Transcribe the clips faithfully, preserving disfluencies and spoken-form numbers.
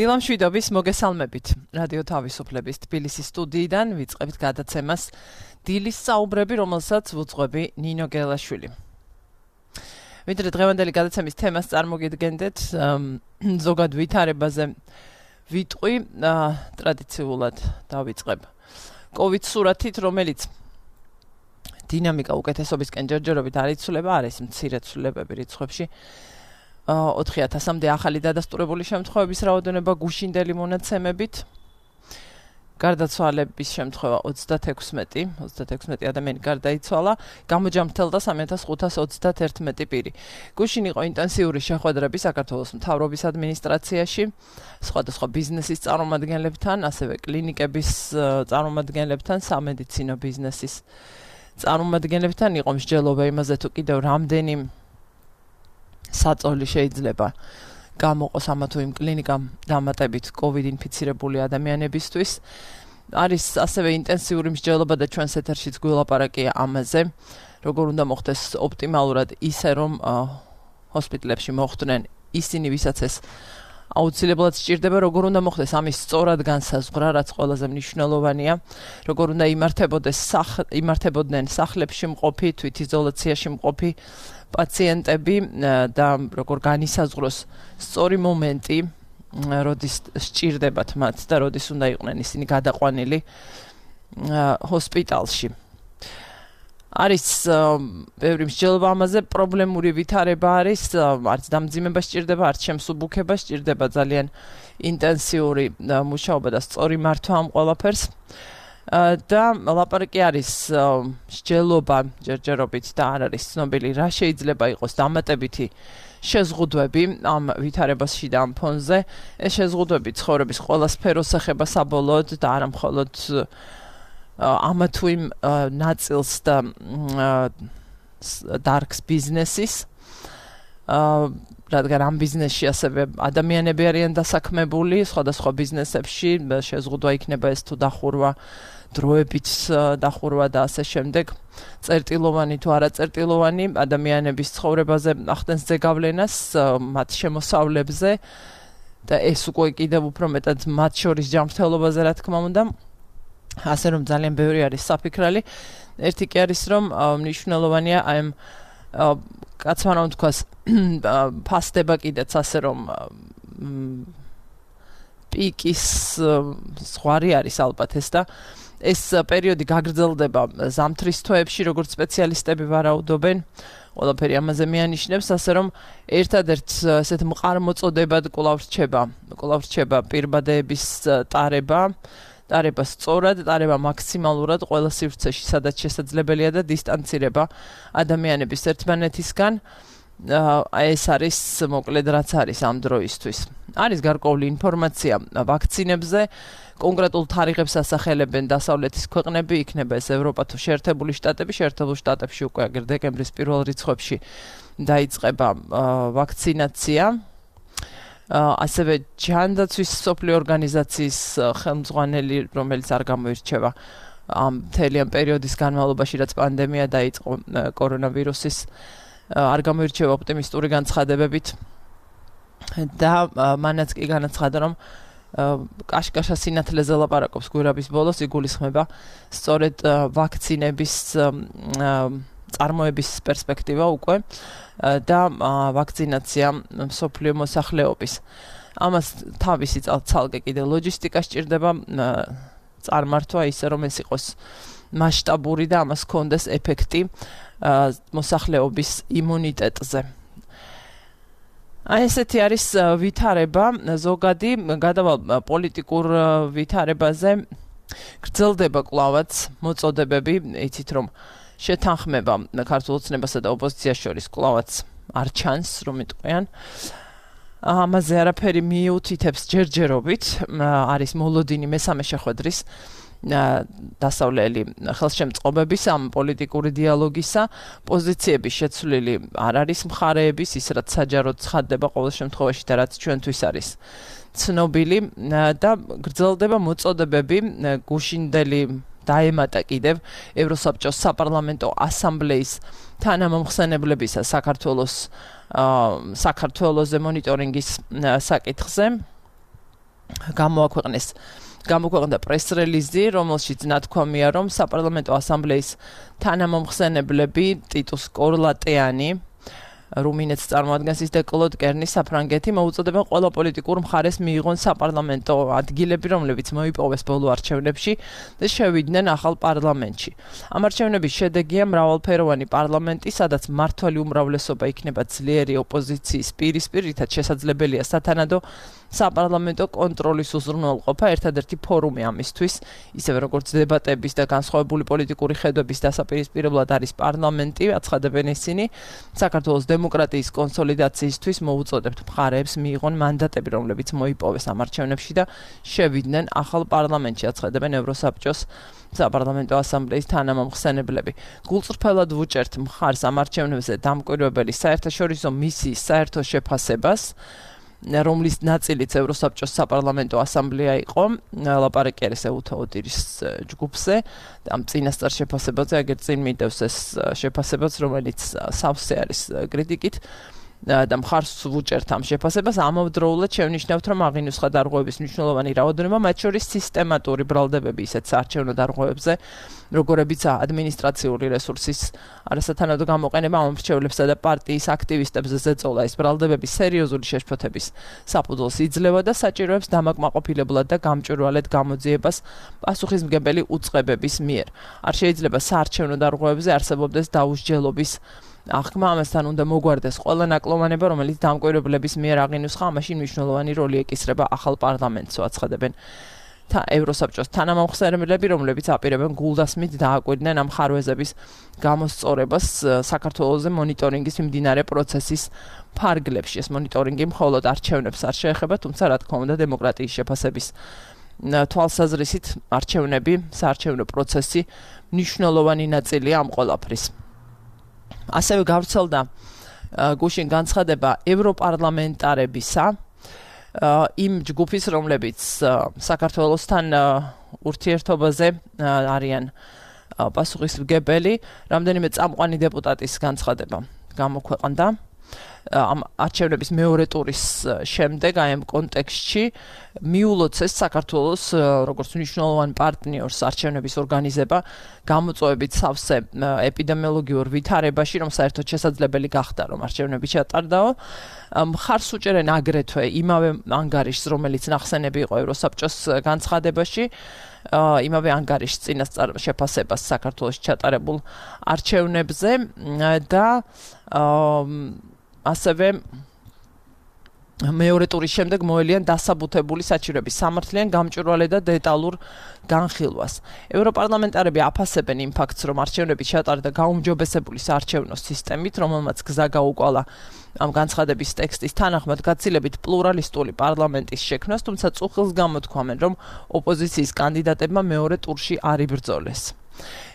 დილამ შვიდობის მოგესალმებით. რადიო თავისუფლების თბილისის სტუდიიდან ვიწყებთ გადაცემას დილის საუბრები, რომელსაც ვუძღვები ნინო გელაშვილი. ვიდრე დღევანდელი გადაცემის თემას წარმოგიდგენდეთ, ზოგად ვითარებაზე ვიტყვი, ტრადიციულად დავიწყებ COVID სურათით, რომელიც დინამიკა უკეთესობისკენ ჯერჯერობით არ იცვლება, არის მცირე ცვლილებები რიცხვებში. ოთხი ათასამდე ახალი დადასტურებული შემთხვევების რაოდენობა გუშინდელი მონაცემებით. გარდაცვალების შემთხვევა ოცდათექვსმეტი ადამიანი გარდაიცვალა, გამოჯამრთელდა სამი ათას ხუთას ოცდათერთმეტი პირი. გუშინ იყო ინტენსიური შეხვედრები საქართველოს მთავრობის ადმინისტრაციაში, სხვადასხვა ბიზნესის წარმომადგენლებთან, ასევე კლინიკების წარმომადგენლებთან, სამედიცინო ბიზნესის წარმომადგენლებთან. იყო მსჯელობა იმაზე, თუ კიდევ რამდენი საწოლი შეიძლება გამოყოს ამა თუ იმ კლინიკამ დამატებით COVID ინფიცირებული ადამიანებისთვის. არის ასევე ინტენსიური მსჯელობა და ჩვენს ეთერშიც გველაპარაკია ამაზე, როგორ უნდა მოხდეს ოპტიმალურად ისე, რომ ჰოსპიტალებში მოხვდნენ ისინი, ვისაც ეს აუცილებლად სჭირდება, როგორ უნდა მოხდეს ამის სწორად განსაზღვრა, რაც ყველაზე მნიშვნელოვანია, როგორ უნდა იმართებოდეს იმართებოდნენ სახლებში მყოფი, თვითიზოლაციაში მყოფი პაციენტები და როგორ განისაზღვროს სწორი მომენტი, როდის სჭირდებათ მათ და როდის უნდა იყვნენ ისინი გადაყვანილი ჰოსპიტალში. არის ბევრი მსჯელობა ამაზე, პრობლემური ვითარება არის, არც დამძიმება სჭირდება, არც შემსუბუქება სჭირდება, ძალიან ინტენსიური მუშაობა და სწორი მართვა ამ ყველაფერს. და ლაპარაკი არის მსჯელობა ჯერჯერობით და არ არის ცნობილი, რა შეიძლება იყოს დამატებითი შეზღუდვები ამ ვითარებაში და ამ ფონზე. ეს შეზღუდვები ცხოვრების ყველა სფეროს ეხება საბოლოოდ და არა მხოლოდ ამა თუ იმ ნაწილს და დარგს ბიზნესის, რადგან ამ ბიზნესში ასევე ადამიანები არიან დასაქმებული, სხვადასხვა ბიზნესებში შეზღუდვა იქნება ეს თუ დახურვა, დროებით დახურვა და ასე შემდეგ. წერტილოვანი თუ არაწერტილოვანი ადამიანების ცხოვრებაზე ახდენს ზეგავლენას, მათ შემოსავლებზე და ეს უკვე კიდევ უფრო მეტად მათ შორის ჯანმრთელობაზე, რა თქმა უნდა. ასე რომ ძალიან ბევრი არის საფიქრალი. ერთი კი არის, რომ მნიშვნელოვანია აი კაცმა რომ თქვას ფასდება კიდეც, ასე რომ პიკის ზღვარი არის ალბათ ეს და ეს პერიოდი გაგრძელდება ზამთრის თვეებში, როგორც სპეციალისტები ვარაუდობენ. ყველაფერი ამაზე მიანიშნებს, ასე რომ ერთადერთ ესეთ მყარ მოწოდებად კვლავ რჩება, კვლავ რჩება პირბადეების ტარება, ტარება სწორად, ტარება მაქსიმალურად ყველა სივრცეში, სადაც შესაძლებელია და დისტანცირება ადამიანების ერთმანეთისგან. ეს არის მოკლედ რაც არის ამ დროისთვის. არის გარკვეული ინფორმაცია ვაქცინებზე, კონკრეტულ თარიღებს ასახელებენ დასავლეთის ქვეყნები, იქნება ეს ევროპა თუ შეერთებული შტატები, შეერთებულ შტატებში უკვე აგერ დეკემბრის პირველ რიცხვებში დაიწყება ვაქცინაცია. ასევე ჯანდაცვის მსოფლიო ორგანიზაციის ხელმძღვანელი, რომელიც არ გამოირჩევა ამ მთელი ამ პერიოდის განმავლობაში, რაც პანდემია დაიწყო კორონავირუსის, არ გამოირჩევა ოპტიმისტური განცხადებებით და მანაც კი განაცხადა, რომ კაშკაშა სინათლეზე ლაპარაკობს გვირაბის ბოლოს, იგულისხმება სწორედ ვაქცინების წარმოების პერსპექტივა უკვე და ვაქცინაცია მსოფლიო მოსახლეობის. ამას თავისი ცალკე კიდე ლოჯისტიკა სჭირდება, წარმართვა ისე, რომ ეს იყოს მასშტაბური და ამას ჰქონდეს ეფექტი მოსახლეობის იმუნიტეტზე. აი ესეთი არის ვითარება ზოგადი. გადავალ პოლიტიკურ ვითარებაზე. გრძელდება კვლავაც მოწოდებები, იცით რომ შეთანხმება ქართულ ოცნებასა და ოპოზიციას შორის კვლავაც არ ჩანს, რომ იტყვიან. ამაზე არაფერი მიუთითებს ჯერჯერობით, არის მოლოდინი მესამე შეხვედრის დასავლელი ხელშემწყობების ამ პოლიტიკური დიალოგისა, პოზიციების შეცვლილი არ არის მხარეების, ის რაც საჯაროდ ცხადდება ყოველ შემთხვევაში და რაც ჩვენთვის არის ცნობილი და გრძელდება მოწოდებები გუშინდელი დაემატა კიდევ ევროსაბჭოს საპარლამენტო ასამბლეის თანამომხსენებლებისა საქართველოს საქართველოზე მონიტორინგის საკითხზე. გამოაქვეყნეს გამოქვეყნდა პრეს-რელიზი, რომელშიც ნათქვამია, რომ საპარლამენტო ასამბლეის თანამომხსენებლები ტიტუს კორლატიანი, რუმინეთს წარმოადგენს ის და კლოდ კერნი საფრანგეთი მოუწოდებენ ყველა პოლიტიკურ მხარეს მიიღონ საპარლამენტო ადგილები, რომლებიც მოიპოვეს ბოლო არჩევნებში და შევიდნენ ახალ პარლამენტში. ამ არჩევნების შედეგია მრავალფეროვანი პარლამენტი, სადაც მმართველი უმრავლესობა იქნება ძლიერი ოპოზიციის პირისპირ, რითაც შესაძლებელია სათანადო საპარლამენტო კონტროლის უზრუნველყოფა, ერთადერთი ფორუმი ამისთვის, ისევე როგორც დებატების და განსხვავებული პოლიტიკური ხედვების დასაპირისპირებლად არის პარლამენტი, აცხადებენ ისინი, საქართველოს დემოკრატიის კონსოლიდაციისთვის მოუწოდებთ მხარეებს მიიღონ მანდატები, რომლებიც მოიპოვეს ამ არჩევნებში და შევიდნენ ახალ პარლამენტში, აცხადებენ ევროსაბჭოს საპარლამენტო ასამბლეის თანამომხსენებლები. გულწრფელად ვუჭერთ მხარს ამ არჩევნებზე დამკვირვებელი საერთაშორისო მისიის საერთო შეფასებას, რომლის ნაწილიც ევროსაბჭოს საპარლამენტო ასამბლეა იყო, ლაპარაკი არის ეუთო ოდირის ჯგუფზე, ამ წინასწარ შეფასებაზე, აგერ წინ მიდევს ეს შეფასებაც, რომელიც სავსე არის კრიტიკით და მხარს ვუჭერთ ამ შეფასებას, ამავდროულად შევნიშნავთ, რომ აღინუსხა დარღვევების მნიშვნელოვანი რაოდენობა, მათ შორის სისტემატური ბრალდებები ისეთ საარჩევნო დარღვევებზე, როგორებიცაა ადმინისტრაციული რესურსის არასათანადო გამოყენება ამ მრჩევლებსა და პარტიის აქტივისტებზე ზეწოლა, ეს ბრალდებები სერიოზული შეშფოთების საფუძველს იძლევა და საჭიროებს დამაკმაყოფილებლად და გამჭვირვალედ გამოძიებას პასუხისმგებელი უწყებების მიერ. არ შეიძლება საარჩევნო დარღვევებზე არსებობდეს დაუსჯელობის აღქმა, ამასთან უნდა მოგვარდეს ყველა ნაკლოვანება, რომელიც დამკვირვებლების მიერ აღინუსხა, ამაში მნიშვნელოვანი როლი ეკისრება ახალ პარლამენტს, აცხადებენ ევროსაბჭოს თანამომხსენებლები, რომლებიც აპირებენ გულდასმით დააკვირდნენ ამ ხარვეზების გამოსწორებას საქართველოზე მონიტორინგის მიმდინარე პროცესის ფარგლებში. ეს მონიტორინგი მხოლოდ არჩევნებს არ შეეხება, თუმცა რა თქმა უნდა დემოკრატიის შეფასების თვალსაზრისით არჩევნები, საარჩევნო პროცესი მნიშვნელოვანი ნაწილია ამ ყველაფრის. ასევე გავრცელდა გუშინ განცხადება ევროპარლამენტარებისა, იმ ჯგუფის, რომლებიც საქართველოსთან ურთიერთობაზე არიან პასუხისმგებელი, რამდენიმე წამყვანი დეპუტატის განცხადება გამოქვეყნდა ამ არჩევნების მეორე ტურის შემდეგ, აი ამ კონტექსტში მიულოცეს საქართველოს როგორც მნიშვნელოვან პარტნიორს არჩევნების ორგანიზება, გამოწვევებით სავსე ეპიდემიოლოგიურ ვითარებაში, რომ საერთოდ შესაძლებელი გახდა, რომ არჩევნები ჩატარდაო. მხარს უჭერენ აგრეთვე იმავე ანგარიშს, რომელიც ნახსენები იყო ევროსაბჭოს განცხადებაში, იმავე ანგარიშს წინასწარ შეფასებას საქართველოში ჩატარებულ არჩევნებზე და ასევე მეორე ტურის შემდეგ მოელიან დასაბუთებული საჭიროების სამართლიან, გამჭვირვალე და დეტალურ განხილვას. ევროპარლამენტარები აფასებენ იმ ფაქტს, რომ არჩევნები ჩატარდა გაუმჯობესებული საარჩევნო სისტემით, რომელმაც გზა გაუკვალა ამ განცხადების ტექსტის თანახმად გაცილებით პლურალისტული პარლამენტის შექმნას, თუმცა წუხილს გამოთქვამენ, რომ ოპოზიციის კანდიდატებმა მეორე ტურში არ იბრძოლეს.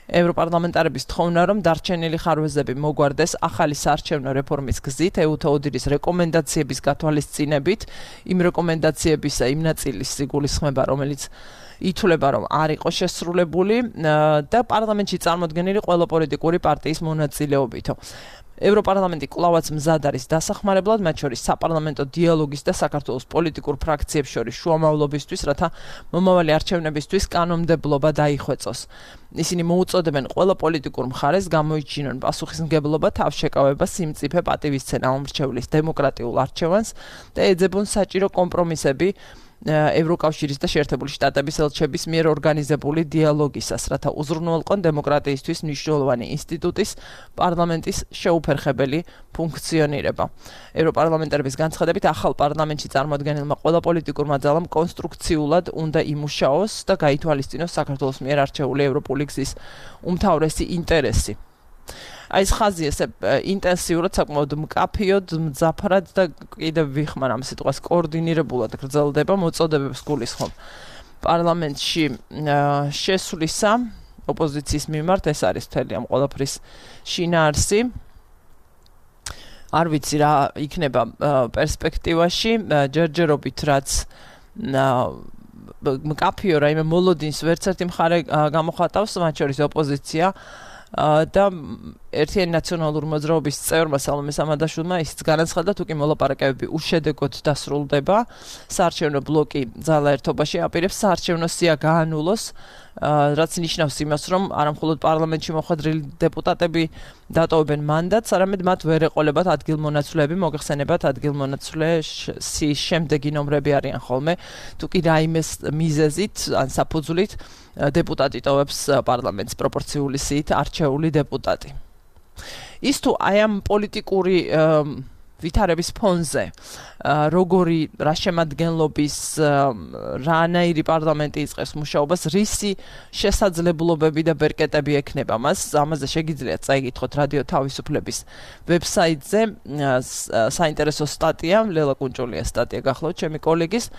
ევროპარლამენტარების თხოვნა, რომ დარჩენილი ხარვეზები მოგვარდეს ახალი საარჩევნო რეფორმის გზით, ეუთო ოდირის რეკომენდაციების გათვალისწინებით, იმ რეკომენდაციებისა იმ ნაწილის სიგულისხმება, რომელიც ითვლება, რომ არ იყო შესრულებული და პარლამენტში წარმოდგენილი ყველა პოლიტიკური პარტიის მონაწილეობით. ევროპარლამენტი კვლავაც მზად არის დასახმარებლად, მათ შორის საპარლამენტო დიალოგის და საქართველოს პოლიტიკურ ფრაქციებს შორის შუამავლობისთვის, რათა მომავალი არჩევნებისთვის კანონმდებლობა დაიხვეწოს. ისინი მოუწოდებენ ყველა პოლიტიკურ მხარეს გამოიჩინონ პასუხისმგებლობა, თავშეკავება, სიმწიფე, პატივისცემა ამ მრჩევლის დემოკრატიულ არჩევანს და ეძებონ საჭირო კომპრომისები ევროკავშირის და შეერთებული შტატების ელჩების მიერ ორგანიზებული დიალოგისას, რათა უზრუნველყონ დემოკრატიისთვის მნიშვნელოვანი ინსტიტუტის პარლამენტის შეუფერხებელი ფუნქციონირება. ევროპარლამენტარების განცხადებით, ახალ პარლამენტში წარმოადგენელმა ყველა პოლიტიკურმა ძალამ კონსტრუქციულად უნდა იმუშაოს და გაითვალისწინოს საქართველოს მიერ არჩეული ევროპული გზის უმთავრესი ინტერესი. აი ეს ხაზი ესე ინტენსიურად, საკმაოდ მკაფიოდ, მძაფრად და კიდევ ვიხმარ ამ სიტყვას კოორდინირებულად გრძელდება მოწოდებებს გულისხმობ პარლამენტში შესვლისა ოპოზიციის მიმართ, ეს არის მთელი ამ ყველაფრის შინაარსი. არ ვიცი რა იქნება პერსპექტივაში, ჯერჯერობით რაც მკაფიო რაიმე მოლოდინს ვერც ერთი მხარე გამოხატავს, მათ შორის ოპოზიცია და ერთიანი ნაციონალური მოძრაობის წევრმა სალომე სამადაშვილმა ისიც განაცხადა, თუ კი მოლაპარაკებები უშედეგოდ დასრულდება, საარჩევნო ბლოკი ძალა ერთობაში აპირებს საარჩევნო სია გაანულოს, რაც ნიშნავს იმას, რომ არამხოლოდ პარლამენტში მოხვედრილი დეპუტატები დატოვებენ მანდატს, არამედ მათ ვერ ეყოლებათ ადგილმონაცვლეები, მოგეხსენებათ ადგილმონაცვლეების შემდეგი ნომრები არიან ხოლმე, თუ კი რაიმეს მიზეზით ან საფუძვლით დეპუტატი ტოვებს პარლამენტს პროპორციული სიით არჩეული დეპუტატი. ის თუ აი ამ პოლიტიკური ვითარების ფონზე როგორი რა შემადგენლობის რანაირი პარლამენტი იწყებს მუშაობას, რისი შესაძლებლობები და ბერკეტები ექნება მას, ამაზე შეგიძლიათ წაიგითხოთ რადიო თავისუფლების ვებსაიტზე საინტერესო სტატია, ლელა კუნჭულია სტატია გახლავთ ჩემი კოლეგის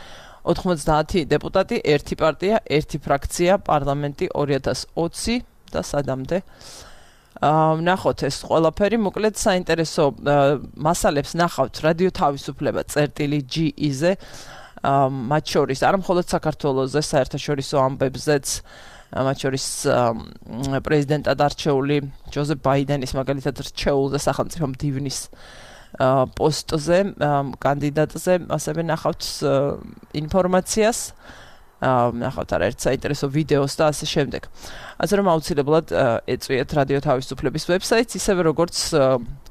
ოთხმოცდაათი დეპუტატი, ერთი პარტია, ერთი ფრაქცია, პარლამენტი ორი ათას ოცი და სადამდე ვნახოთ ეს ყველაფერი, მოკლედ საინტერესო მასალებს ნახავთ რადიო თავისუფლება წერტილი ჯი-ზე, მათ შორის არა მხოლოდ საქართველოზე, საერთაშორისო ამბებზეც, მათ შორის პრეზიდენტად არჩეული ჯოზეფ ბაიდენის მაგალითად რჩეულზე სახელმწიფო მდივნის პოსტზე, კანდიდატზე, ასევე ნახავთ ინფორმაციას, ნახავთ არაერთ საინტერესო ვიდეოს და ასე შემდეგ. ასე რომ აუცილებლად ეწვიეთ რადიო თავისუფლების ვებსაიტს, ისევე როგორც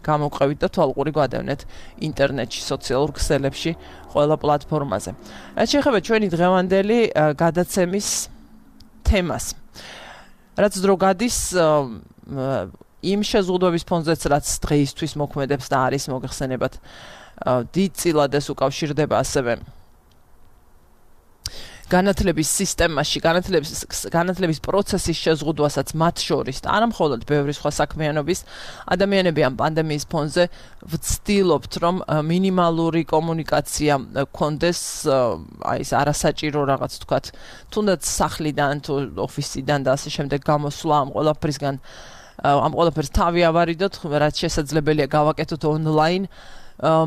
გამოვყევით და თვალყური გვადევნეთ ინტერნეტში, სოციალურ ქსელებში, ყველა პლატფორმაზე. რაც შეეხება ჩვენი დღევანდელი გადაცემის თემას. რაც დრო გადის იმ შეზღუდვების ფონზეც, რაც დღეისთვის მოქმედებს და არის მოგეხსენებათ დიდწილად ეს უკავშირდება ასევე განათლების სისტემაში, განათლების განათლების პროცესის შეზღუდვასაც მათ შორის და არა მხოლოდ ბევრი სხვა საქმიანობის ადამიანები ამ პანდემიის ფონზე ვცდილობთ, რომ მინიმალური კომუნიკაცია გქონდეს, აი ეს არასაჭირო რაღაც თქვათ, თუნდაც სახლიდან თუ ოფისიდან და ასე შემდეგ გამოსვლა ამ ყველაფრისგან ამ ყველაფერს თავი ავარიდოთ, რაც შესაძლებელია გავაკეთოთ ონლაინ.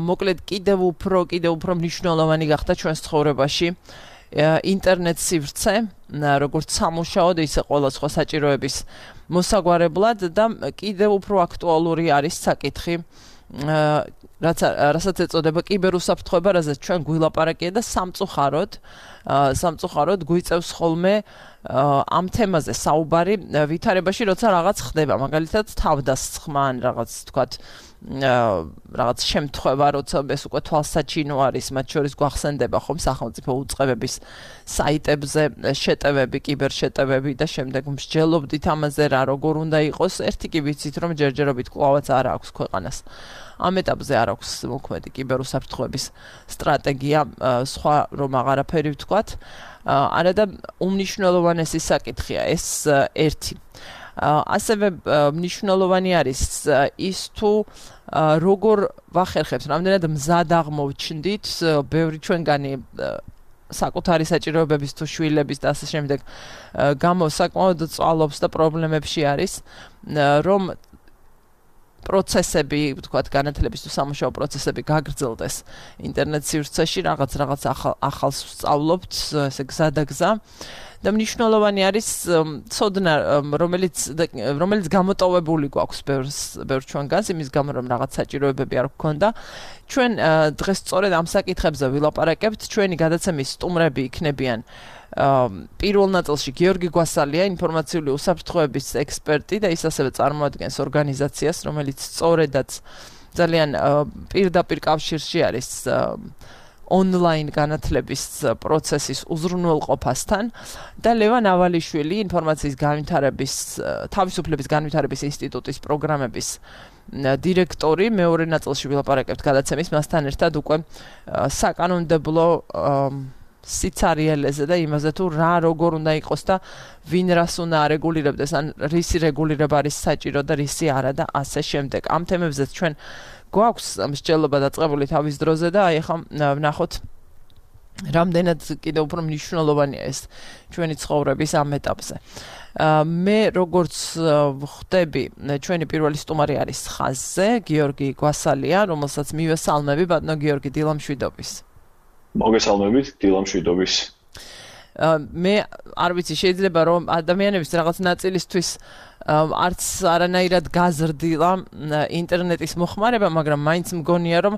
მოკლედ კიდევ უფრო, კიდევ უფრო მნიშვნელოვანი გახდა ჩვენს ცხოვრებაში ინტერნეტ სივრცე, როგორც სამუშაოდ, ისე ყველა სხვა საჭიროების მოსაგვარებლად და კიდევ უფრო აქტუალური არის საკითხი, რაც რასაც ეწოდება კიბერუსაფრთხოება, რაზეც ჩვენ გვილაპარაკია და სამწუხაროდ, სამწუხაროდ გვიწევს ხოლმე ამ თემაზე საუბარი ვითარებაში, როცა რაღაც ხდება, მაგალითად თავდასხმა ან რაღაც თქვათ რაღაც შემთხვევა, როცა ეს უკვე თვალსაჩინო არის, მათ შორის გვახსენდება ხომ სახელმწიფო უწყებების საიტებზე შეტევები, კიბერშეტევები და შემდეგ მსჯელობდით ამაზე რა როგორ უნდა იყოს. ერთი კი ვიცით, რომ ჯერჯერობით კვლავაც არ აქვს ქვეყანას. ამ ეტაპზე არ აქვს მოქმედი კიბერუსაფრთხოების სტრატეგია, სხვა რომ აღარაფერი ვთქვათ. არა და უმნიშვნელოვანესი საკითხია ეს ერთი. ასევე მნიშვნელოვანი არის ის თუ როგორ ვახერხებთ, რამდენად მზად აღმოჩნდით, ბევრი ჩვენგანი საკუთარი საჭიროებების თუ შვილების და ასე შემდეგ გამო საკმაოდ წვალობს და პრობლემებში არის, რომ პროცესები, ვთქვათ, განათლების თუ სამუშაო პროცესები გაგრძელდეს ინტერნეტ სივრცეში, რაღაც რაღაც ახალს ვსწავლობთ, ესე გზა და გზა. და მნიშვნელოვანი არის ცოდნა, რომელიც რომელიც გამოტოვებული გვაქვს ბევრ ჩვენგანს, იმის გამო რომ რაღაც საჭიროებები არ გქონდა. ჩვენ დღეს სწორედ ამ საკითხებზე ვილაპარაკებთ. ჩვენი გადაცემის სტუმრები იქნებიან პირველ ნაწილში გიორგი გვასალია, ინფორმაციული უსაფრთხოების ექსპერტი და ის ასევე წარმოადგენს ორგანიზაციას, რომელიც სწორედაც ძალიან პირდაპირ კავშირში არის ონლაინ განათლების პროცესის უზრუნველყოფასთან და ლევან ავალიშვილი, ინფორმაციის განვითარების თავისუფლების განვითარების ინსტიტუტის პროგრამების დირექტორი. მეორე ნაწილში ვილაპარაკებთ გადაცემის მასთან ერთად უკვე საკანონმდებლო სიცარიელეზე და იმაზე თუ რა როგორ უნდა იყოს და ვინ რას უნდა არეგულირებდეს, ან რისი რეგულირება არის საჭირო და რისი არა და ასე შემდეგ. ამ თემებზეც ჩვენ გვაქვს მსჯელობა დაწყებული თავის დროზე და აი ახლა ვნახოთ რამდენად კიდევ უფრო მნიშვნელოვანია ეს ჩვენი ცხოვრების ამ ეტაპზე. მე როგორც ვხვდები, ჩვენი პირველი სტუმარი არის ხაზზე, გიორგი გვასალია, რომელსაც მივესალმები, ბატონო გიორგი, დილამშვიდობის. მოგესალმებით, დილამშვიდობის. მე არ ვიცი, შეიძლება რომ ადამიანების რაღაც ნაწილისთვის არც არანაირად გაზრდილა ინტერნეტის მოხმარება, მაგრამ მაინც მგონია რომ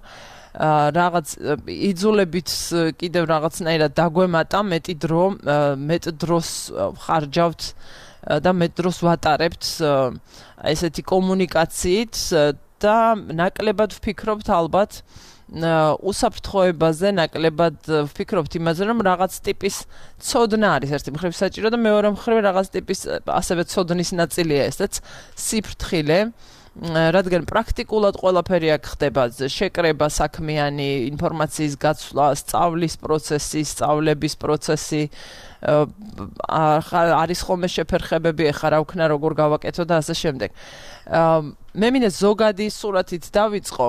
რაღაც იძულებით კიდევ რაღაცნაირად დაგვემატა მეტი დრო, მეტ დროს ხარჯავთ და მეტ დროს ვატარებთ ესეთი კომუნიკაციით და ნაკლებად ვფიქრობთ ალბათ უსაფრთხოებაზე, ნაკლებად ვფიქრობთ იმაზე, რომ რაღაც ტიპის ცოდნა არის ერთი მხრივ საჭირო და მეორე მხრივ რაღაც ტიპის ასევე ცოდნის ნაწილია ესეც სიფრთხილე, რადგან პრაქტიკულად ყველაფერი აქ ხდება, შეკრება საქმიანი ინფორმაციის გაცვლა, სწავლის პროცესი, სწავლების პროცესი, არის ხოლმე შეფერხებები, ეხლა რა ვქნა, როგორ გავაკეთო და ასე შემდეგ. მე მინდა ზოგადი სურათით დავიწყო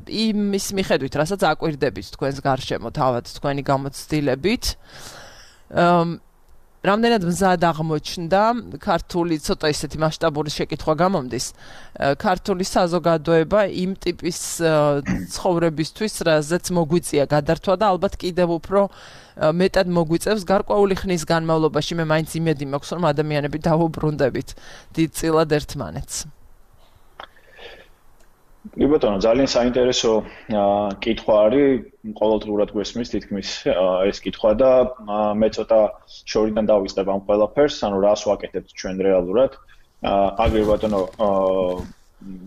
იმის მიხედვით, რასაც აკვირდებით თქვენს გარშემო, თავად თქვენი გამოცდილებით. რამდენად მზად აღმოჩნდა ქართული ცოტა ისეთი მასშტაბური შეკითხვა გამომდის ქართული საზოგადოება იმ ტიპის ცხოვრებისთვის, რაზეც მოგვიწია გადართვა და ალბათ კიდევ უფრო მეტად მოგვიწევს გარკვეული ხნის განმავლობაში. მე მაინც იმედი მაქვს, რომ ადამიანები დაუბრუნდებით დიდწილად ერთმანეთს. კი ბატონო, ძალიან საინტერესო კითხვა არის, ყოველდღურად გვესმის თითქმის ეს კითხვა და მე ცოტა შორიდან დავიწყებ ამ ყველაფერს, ანუ რას ვაკეთებთ ჩვენ რეალურად. აგრე ბატონო,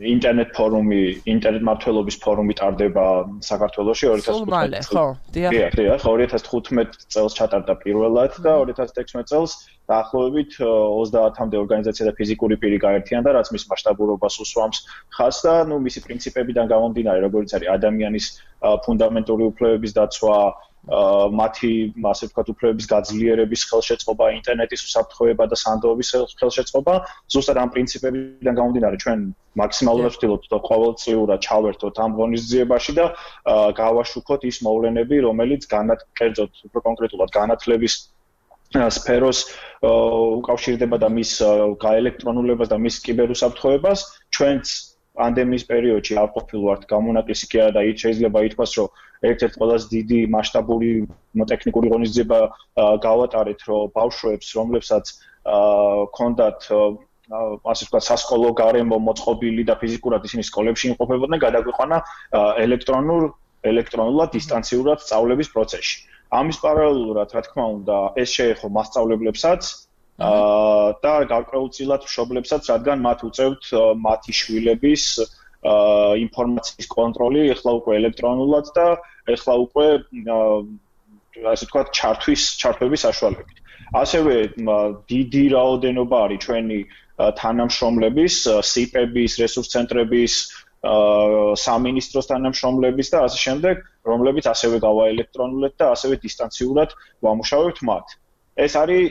ინტერნეტ ფორუმი, ინტერნეტ მმართველობის ფორუმი ტარდება საქართველოში ორი ათას თხუთმეტ წელს. ხო, დიახ. დიახ, ორი ათას თხუთმეტ წელს ჩატარდა პირველად და ორი ათას თექვსმეტ წელს დაახლოებით ოცდაათამდე ორგანიზაცია და ფიზიკური პირი გაერთიანდა, რაც მის მასშტაბურობას უსვამს ხაზს და ნუ მისი პრინციპებიდან გამომდინარე, როგორც არის ადამიანის ფუნდამენტური უფლებების დაცვა, მათი, ასე ვთქვათ, უფლებების გაძლიერების ხელშეწყობა, ინტერნეტის უსაფრთხოება და სანდოობის ხელშეწყობა, ზუსტად ამ პრინციპებიდან გამომდინარე, ჩვენ მაქსიმალურად ვცდილობთ ყოველწლიურად ჩავერთოთ ამ ღონისძიებაში და გავაშუქოთ ის მოვლენები, რომელიც განათლებთ, უფრო კონკრეტულად განათლების სფეროს უკავშირდება და მის გაელექტრონულებას და მის კიბერუსაფრთხოებას. ჩვენც პანდემიის პერიოდში არ ყოფილვართ გამონაკლისი კი არა და იქ შეიძლება ითქვას, რომ ერთ-ერთი ყველაზე დიდი მასშტაბური ტექნიკური ღონისძიება გავატარეთ, რომ ბავშვებს, რომლებსაც ჰქონდათ ასე ვთქვათ, სასკოლო გარემო მოწყობილი და ფიზიკურად ისინი სკოლებში იმყოფებოდნენ, გადაგვიყვანა ელექტრონულ ელექტრონულად დისტანციურად სწავლების პროცესში. ამის პარალელურად, რა თქმა უნდა, ეს შეეხო მასწავლებლებსაც და გარკვეულწილად მშობლებსაც, რადგან მათ უწევთ მათი შვილების ინფორმაციის კონტროლი, ეხლა უკვე ელექტრონულად და ეხლა უკვე ასე ვთქვათ, ჩართვის, ჩართვების საშუალებით. ასევე დიდი რაოდენობა არის ჩვენი თანამშრომლების, სიპების, რესურს ცენტრების, სამინისტროს თანამშრომლების და ასე შემდეგ, რომლებიც ასევე გავაელექტრონულეთ და ასევე დისტანციურად ვამუშავებთ მათ. ეს არის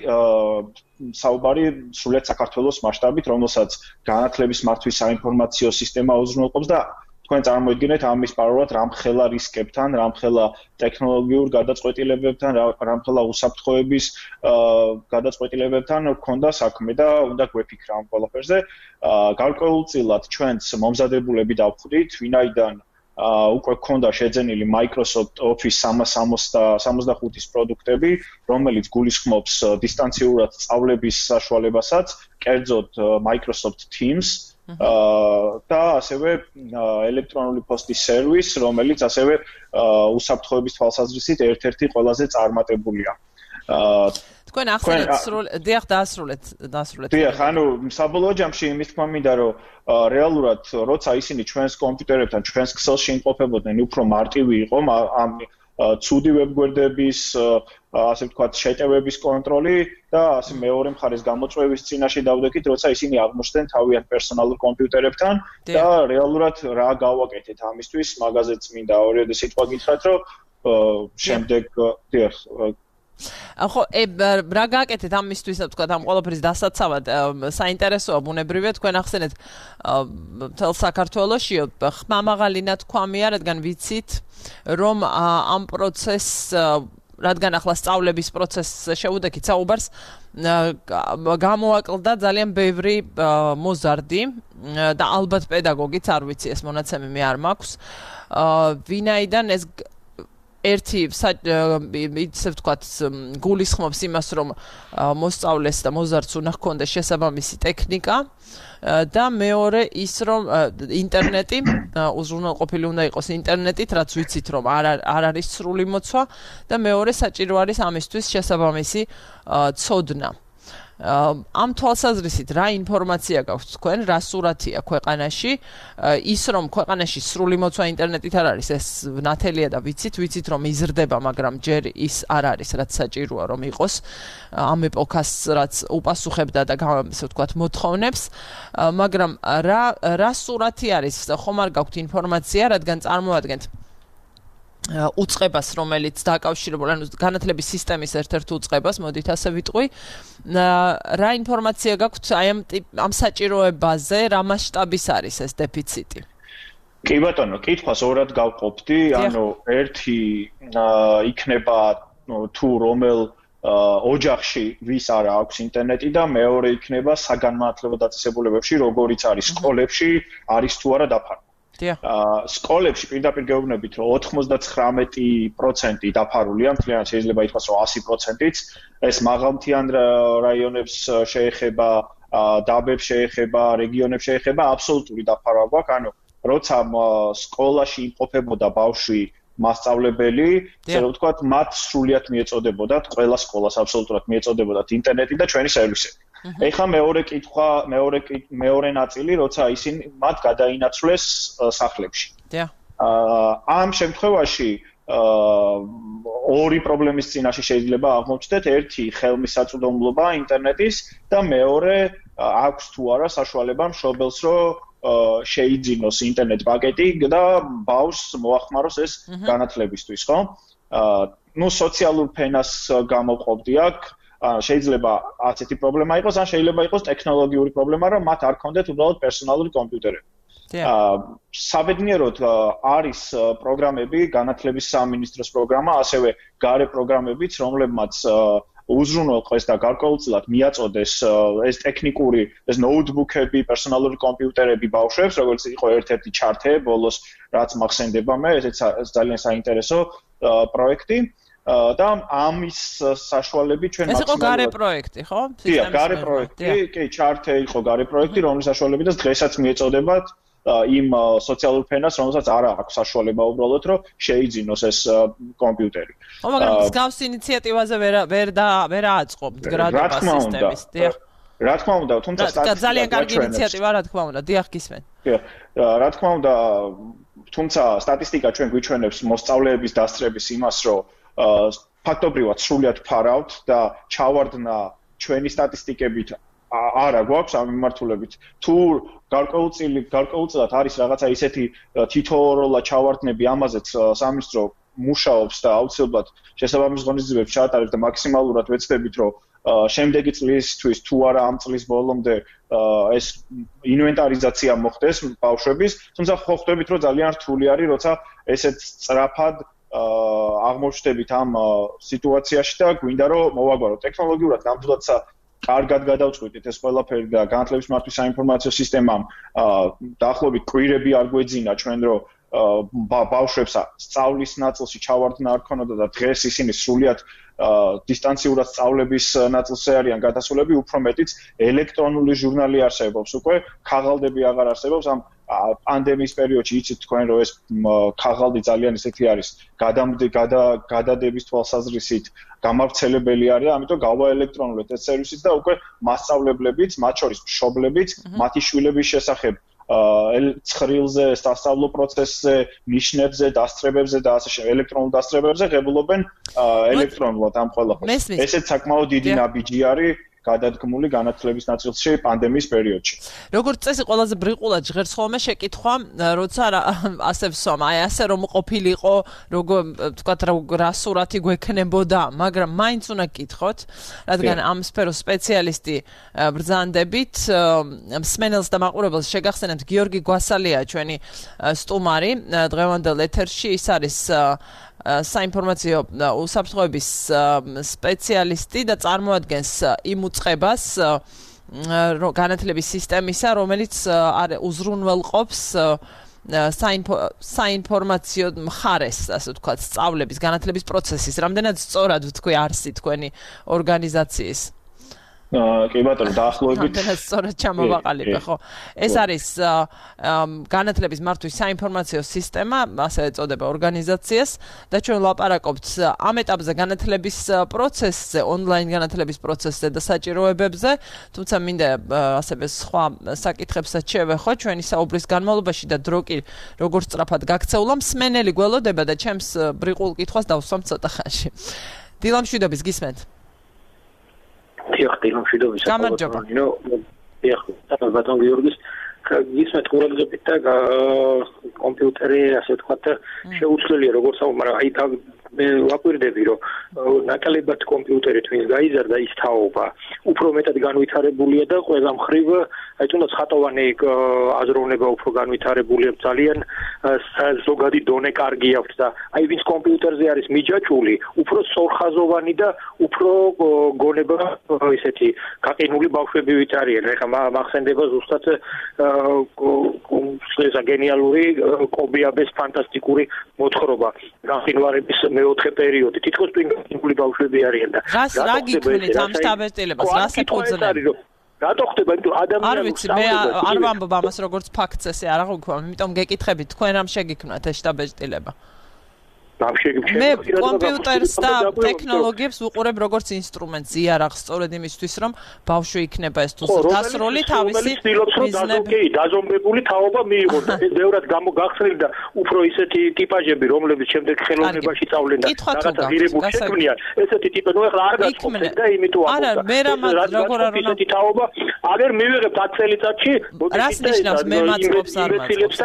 საუბარი სრულიად საქართველოს მასშტაბით, რომელსაც განათლების მართვის საინფორმაციო სისტემა უზრუნველყოფს და თქვენ წარმოიდგინეთ ამის პარალელურად რამხელა რისკებთან, რამხელა ტექნოლოგიურ გადაწყვეტილებებთან, რამხელა უსაფრთხოების გადაწყვეტილებებთან გქონდა საქმე და უნდა გვეფიქრა ამ ყველაფერზე. გარკვეულწილად ჩვენც მომზადებულები დავხვდით, ვინაიდან უკვე გქონდა შეძენილი Microsoft Office სამას სამოცდახუთის პროდუქტები, რომელიც გულისხმობს დისტანციურად სწავლების საშუალებასაც, კერძოდ Microsoft Teams და ასევე ელექტრონული პოსტის სერვის, რომელიც ასევე უსაფრთხოების თვალსაზრისით ერთ-ერთი ყველაზე წარმატებულია. თქვენ ახსენეთ სრულად, დიახ, დაასრულეთ, დაასრულეთ. დიახ, ანუ საბოლოო ჯამში იმის თქმა მინდა, რომ რეალურად როცა ისინი ჩვენს კომპიუტერებთან, ჩვენს ქსელში იმყოფებოდნენ, უფრო მარტივი იყო ამ ცუდი ვებგვერდების, ასე ვთქვათ, შეტევების კონტროლი და ასე მეორე მხარეს გამოწვევის წინაშე დავდექით, როცა ისინი აღმოჩნდნენ თავიანთ პერსონალურ კომპიუტერებთან და რეალურად რა გავაკეთეთ ამისთვის, მაგაზეც მინდა ორიოდე სიტყვა გითხრათ, რომ შემდეგ დიახ ხო, რა გააკეთეთ ამისთვის, თქვა, ამ ყველაფრის დასაცავად, საინტერესოა ბუნებრივია, თქვენ ახსენეთ მთელ საქართველოში ხმამაღალი ნათქვამია, რადგან ვიცით, რომ ამ პროცესს, რადგან ახლა სწავლების პროცესს შეუდექით საუბარს, გამოაკლდა ძალიან ბევრი მოზარდი და ალბათ პედაგოგიც, არ ვიცი, ეს მონაცემი მე არ მაქვს, ვინაიდან ეს ერთი ისე ვთქვათ გულისხმობს იმას, რომ მოსწავლეს და მოზარდს უნდა ჰქონდეს შესაბამისი ტექნიკა და მეორე ის, რომ ინტერნეტი უზრუნველყოფილი უნდა იყოს ინტერნეტით, რაც ვიცით, რომ არ არ არის სრული მოცვა და მეორე საჭირო არის ამისთვის შესაბამისი ცოდნა. ამ თვალსაზრისით რა ინფორმაცია გაქვთ თქვენ, რა სურათია ქვეყანაში, ის რომ ქვეყანაში სრული მოცვა ინტერნეტით არ არის, ეს ნათელია და ვიცით, ვიცით რომ იზრდება, მაგრამ ჯერ ის არ არის, რაც საჭიროა რომ იყოს ამ ეპოქას, რაც უპასუხებდა და ესე ვთქვათ მოთხოვნებს, მაგრამ რა რა სურათი არის, ხომ არ გაქვთ ინფორმაცია, რადგან წარმოადგენთ უწყებას, რომელიც დაკავშირებული, ანუ განათლების სისტემის ერთ-ერთ უწყებას, მოდით ასე ვიტყვი. რა ინფორმაცია გაქვთ აი ამ ამ საჭიროებაზე, რა მასშტაბის არის ეს დეფიციტი? კი ბატონო, კითხვას ორად გავყოფდი, ანუ ერთი იქნება თუ რომელ ოჯახში ვის არ აქვს ინტერნეტი და მეორე იქნება საგანმანათლებლო დაწესებულებებში, როგორიც არის სკოლებში, არის თუ არა დაფარული. სკოლებში პირდაპირ გეუბნებით, რომ ოთხმოცდათხრამეტი პროცენტი დაფარულია, მთლიანად შეიძლება ითქვას, რომ ასი პროცენტიც, ეს მაღალმთიან რაიონებს შეეხება, დაბებს შეეხება, რეგიონებს შეეხება, აბსოლუტური დაფარვა გვაქვს, ანუ როცა სკოლაში იმყოფებოდა ბავშვი მასწავლებელი, ესე რომ ვთქვათ, მათ სრულიად მიეწოდებოდათ, ყველა სკოლას აბსოლუტურად მიეწოდებოდათ ინტერნეტი და ჩვენი სერვისები. ეხლა მეორე კითხვა, მეორე მეორე ნაწილი, როცა ისინი მათ გადაინაცვლეს სახლებში. ამ შემთხვევაში ორი პრობლემის წინაშე შეიძლება აღმოჩნდეთ, ერთი ხელმისაწვდომობა ინტერნეტის და მეორე აქვს თუ არა საშუალება მშობელს, რომ შეიძინოს ინტერნეტ პაკეტი და ბავშვს მოახმაროს ეს განათლებისთვის, ხო? ნუ სოციალურ ფენას გამოვყოფდი აქ, შეიძლება ასეთი პრობლემა იყოს, ან შეიძლება იყოს ტექნოლოგიური პრობლემა, რომ მათ არ ქონდეთ უბრალოდ პერსონალური კომპიუტერები. საბედნიეროდ არის პროგრამები, განათლების სამინისტროს პროგრამა, ასევე გარე პროგრამებიც, რომლებმაც უზრუნველყეს და გარკვეულწილად მიაწოდეს ეს ტექნიკური, ეს ნოუთბუქები, პერსონალური კომპიუტერები ბავშვებს, როგორც იყო ერთ-ერთი ჩარტე ბოლოს, რაც მახსენდება მე, ესეც ძალიან საინტერესო პროექტი. და ამის საშუალებით ჩვენ მაქსიმალურად ეს იყო გარე პროექტი, ხო? კი, გარე პროექტი, კი, ჩარტე იყო გარე პროექტი, რომლის საშუალებითაც დღესაც მიეწოდებათ იმ სოციალურ ფენას, რომელსაც არ აქვს საშუალება უბრალოდ, რომ შეიძინოს ეს კომპიუტერი. ხო, მაგრამ მსგავს ინიციატივაზე ვერ ვერ და ვერ აწყობთ გრადობა სისტემის, დიახ. რა თქმა უნდა, თუმცა სტატისტიკა ძალიან კარგი ინიციატივა, რა თქმა უნდა, დიახ, გისმენ. კი, რა თქმა უნდა, თუმცა სტატისტიკა ჩვენ გვიჩვენებს მოსწავლეების დასწრების იმას, რომ ფაქტობრივად სრულიად ფარავთ და ჩავარდნა ჩვენი სტატისტიკებით არა გვაქვს ამ მიმართულებით. თუ გარკვეულწილი გარკვეულწილად არის რაღაცა ისეთი თითოეულა ჩავარდნები, ამაზეც სამინისტრო მუშაობს და აუცილებლად შესაბამის ღონისძიებებს ჩაატარებს და მაქსიმალურად ვეცდებით, რომ შემდეგი წლისთვის თუ არა ამ წლის ბოლომდე ეს ინვენტარიზაცია მოხდეს ბავშვების, თუმცა ხო ხვდებით, რომ ძალიან რთული არის, როცა ესეთ სწრაფად აღმოჩნდებით ამ სიტუაციაში და გვინდა რომ მოვაგვაროთ ტექნოლოგიურად ნამდვილადსა კარგად გადავწყვიტეთ ეს ყველაფერი და განათლების მართვის საინფორმაციო სისტემამ დაახლოებით კვირები არ გვეძინა ჩვენ რომ ბავშვებს სწავლის ნაწილში ჩავარდნა არ ქონოდა და დღეს ისინი სრულიად დისტანციურად სწავლების ნაწილზე არიან გადასულები, უფრო მეტიც ელექტრონული ჟურნალი არსებობს უკვე, ქაღალდები აღარ არსებობს ამ პანდემიის პერიოდში იცით თქვენ რომ ეს ქაღალდი ძალიან ისეთი არის გადადების თვალსაზრისით გამავრცელებელი არის, ამიტომ გავაელექტრონულეთ ეს სერვისიც და უკვე მასწავლებლებიც, მათ შორის მშობლებიც, მათი შვილების შესახებ ცხრილზე, სასწავლო პროცესზე, ნიშნებზე, დასწრებებზე და ასე შემდეგ, ელექტრონულ დასწრებებზე ღებულობენ ელექტრონულად ამ ყველაფერს. ესეც საკმაოდ დიდი ნაბიჯი არის გადადგმული განათლების ნაწილში პანდემიის პერიოდში. როგორც წესი, ყველაზე ბრიყულად ჟღერს ხოლმე შეკითხვა, როცა ასე ვსვამ, აი ასე რომ ყოფილიყო, როგორ ვთქვათ, რა სურათი გვექნებოდა, მაგრამ მაინც უნდა გკითხოთ, რადგან ამ სფეროს სპეციალისტი ბრძანდებით, მსმენელს და მაყურებელს შეგახსენებთ, გიორგი გვასალია ჩვენი სტუმარი დღევანდელ ეთერში, ის არის საინფორმაციო უსაფრთხოების სპეციალისტი და წარმოადგენს იმ უწყებას განათლების სისტემისა, რომელიც უზრუნველყოფს საინფორმაციო მხარეს, ასე ვთქვათ, სწავლების, განათლების პროცესის, რამდენად სწორად ვთქვი არსი თქვენი ორგანიზაციის? კი ბატონო, დაახლოებით რამდენად სწორად ჩამოვაყალიბე, ხო? ეს არის განათლების მართვის საინფორმაციო სისტემა, ასე ეწოდება ორგანიზაციას და ჩვენ ვლაპარაკობთ ამ ეტაპზე განათლების პროცესზე, ონლაინ განათლების პროცესზე და საჭიროებებზე, თუმცა მინდა ასევე სხვა საკითხებსაც შევეხო ჩვენი საუბრის განმავლობაში და დრო კი როგორც სწრაფად გაქცეულა, მსმენელი გველოდება და ჩემს ბრიყულ კითხვას დავსვამ ცოტა ხანში. დილამშვიდობის გისმენთ? დიახ, დილამშვიდობის. გამარჯობა. დიახ, ბატონ გიორგის გისმენთ ყურადღებით და კომპიუტერი, ასე ვთქვათ, შეუცვლელია როგორც აუ, მაგრამ აი მე ვაკვირდები, რომ ნაკლებად კომპიუტერი თქვენს გაიზარდა ის თაობა, უფრო მეტად განვითარებულია და ყველა მხრივ, აი თუნდაც ხატოვანი აზროვნება უფრო განვითარებულია, ძალიან ზოგადი დონე კარგი აქვს და აი ვინც კომპიუტერზე არის მიჯაჭვული, უფრო სწორხაზოვანი და უფრო გონება ესეთი გაყინული ბავშვები ვით არიან. ეხლა მახსენდება ზუსტად ესა გენიალური კობიაბეს ფანტასტიკური მოთხრობა განხილვარების მეოთხე პერიოდი. თითქოს პინგვინული ბავშვები არიან და რა გიქმნით ამ შთაბეჭდილებას? რას ეფუძნებთ? რატო ხდება? იმიტომ ადამიანს არ ვიცი, მე არ ვამბობ ამას როგორც ფაქტს, ესე არ აღვიქვა, იმიტომ გეკითხებით, თქვენ რამ შეგიქმნათ ეს შთაბეჭდილება? მე კომპიუტერს და ტექნოლოგიებს ვუყურებ როგორც ინსტრუმენტს, იარაღს, სწორედ იმისთვის, რომ ბავშვი იქნება ეს თუ დასრული თავისი მიზნები. დაზომბებული თაობა მიიღოს და ეს ბევრად გამოგახსნილ და უფრო ისეთი ტიპაჟები, რომლებიც შემდეგ ხელოვნებაში სწავლენ და რაღაცა ღირებულ შექმნიან, ესეთი ტიპები, ნუ ეხლა არ გაწყობთ და იმიტომ არა, მე რამაც როგორ არ უნდა ესეთი თაობა, აგერ მივიღებთ ათი წელიწადში, რას ნიშნავს მე მაწყობს არ მაწყობს?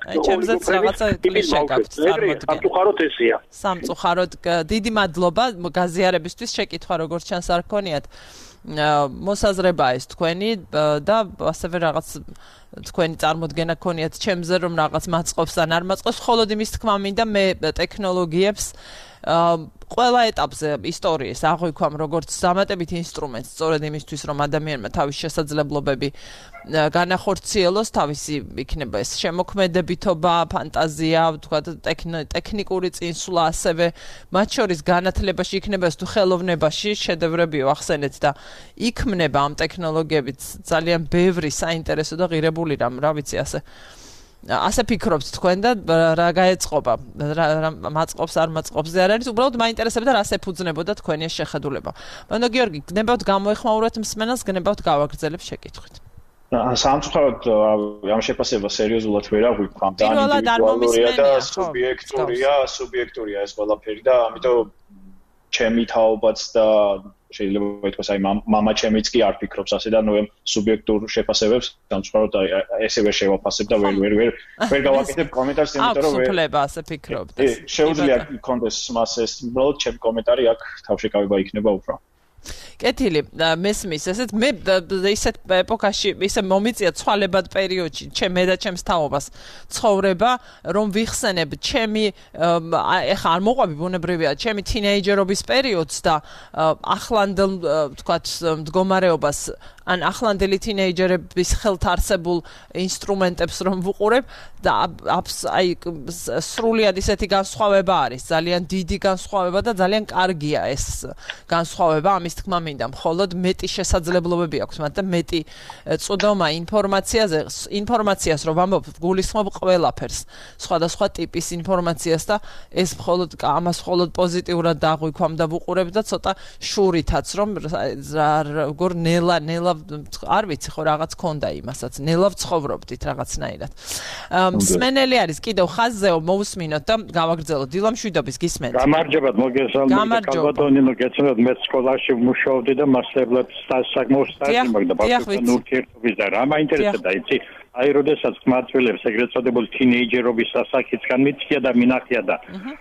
აი, ჩემზეც რაღაცა კლიშე გაქვთ წარმოდგენ. სამწუხაროდ დიდი მადლობა გაზიარებისთვის, შეკითხვა როგორც ჩანს არ გქონიათ. მოსაზრებაა ეს თქვენი და ასევე რაღაც თქვენი წარმოდგენა გქონიათ ჩემზე, რომ რაღაც მაწყობს ან არ მაწყობს, მხოლოდ იმის თქმა მინდა მე ტექნოლოგიებს ყველა ეტაპზე ისტორიის აღვიქვამ როგორც დამატებით ინსტრუმენტს, სწორედ იმისთვის, რომ ადამიანმა თავის შესაძლებლობები განახორციელოს, თავისი იქნება ეს შემოქმედებითობა, ფანტაზია, ვთქვათ, ტექნიკური წინსვლა, ასევე მათ შორის განათლებაში იქნება ეს თუ ხელოვნებაში შედევრები ვახსენეთ და იქმნება ამ ტექნოლოგიებით ძალიან ბევრი საინტერესო და ღირებული რამ, რა ვიცი, ასე ასე ფიქრობთ თქვენ და რა გაეწყობა, რა მაწყობს არ მაწყობზე არ არის, უბრალოდ მაინტერესებდა რას ეფუძნებოდა თქვენი ეს შეხედულება. ბატონო გიორგი, გნებავთ გამოეხმაუროთ მსმენელს, გნებავთ გავაგრძელებ შეკითხვით. სამწუხაროდ ამ შეფასება სერიოზულად ვერ აღვიქვამ, ძალიან ინდივიდუალურია და სუბიექტურია, სუბიექტურია ეს ყველაფერი და ამიტომ ჩემი თაობაც და შეიძლება ითქვას აი მამა ჩემიც კი არ ფიქრობს ასე და ნუ ამ სუბიექტურ შეფასებებს სამწუხაროდ ესე ვერ შევაფასებ და ვერ ვერ ვერ ვერ გავაკეთებ კომენტარს, იმიტომ რომ ვერ უფლება ასე ფიქრობთ. შეუძლია კონდეს მას ეს უბრალოდ ჩემი კომენტარი აქ თავშეკავება იქნება უფრო. კეთილი, მესმის, ესეთ მე ისეთ ეპოქაში ისე მომიწია ცვალებად პერიოდში, ჩემ და ჩემს თაობას ცხოვრება, რომ ვიხსენებ ჩემი ეხა არ მოყვები ბუნებრივია, ჩემი თინეიჯერობის პერიოდს და ახლანდელ ვთქვათ მდგომარეობას ან ახლანდელი თინეიჯერების ხელთ არსებულ ინსტრუმენტებს რომ ვუყურებ და აი სრულიად ისეთი განსხვავება არის, ძალიან დიდი განსხვავება და ძალიან კარგია ეს განსხვავება, ამის თქმა მინდა, მხოლოდ მეტი შესაძლებლობები აქვს მათ და მეტი წვდომა ინფორმაციაზე, ინფორმაციას რომ ვამბობ, გულისხმობ ყველაფერს, სხვადასხვა ტიპის ინფორმაციას და ეს მხოლოდ ამას მხოლოდ პოზიტიურად დაღვიქვამ და ვუყურებ და ცოტა შურითაც რომ როგორ ნელა ნელა არ ვიცი ხო რაღაც ქონდა იმასაც, ნელა ვცხოვრობდით რაღაცნაირად. მსმენელი არის კიდევ ხაზზეო, მოусმინოთ და გავაგრძელოთ. დილამშვიდობის გისმენთ. გამარჯობათ, მოგესალმებით. კალბატონინო, გეცნობათ, მე სკოლაში მუშაობდი და მასშტაბად საკმაოდ სტაჟი მაგდა ბავშვებთან ურთიერთობის და რა მაინტერესებდა, იცი? აი, როდესაც მართლებს ეგრეთ წოდებული თინეიჯერობის ასაკიც განმიწია და მინახია და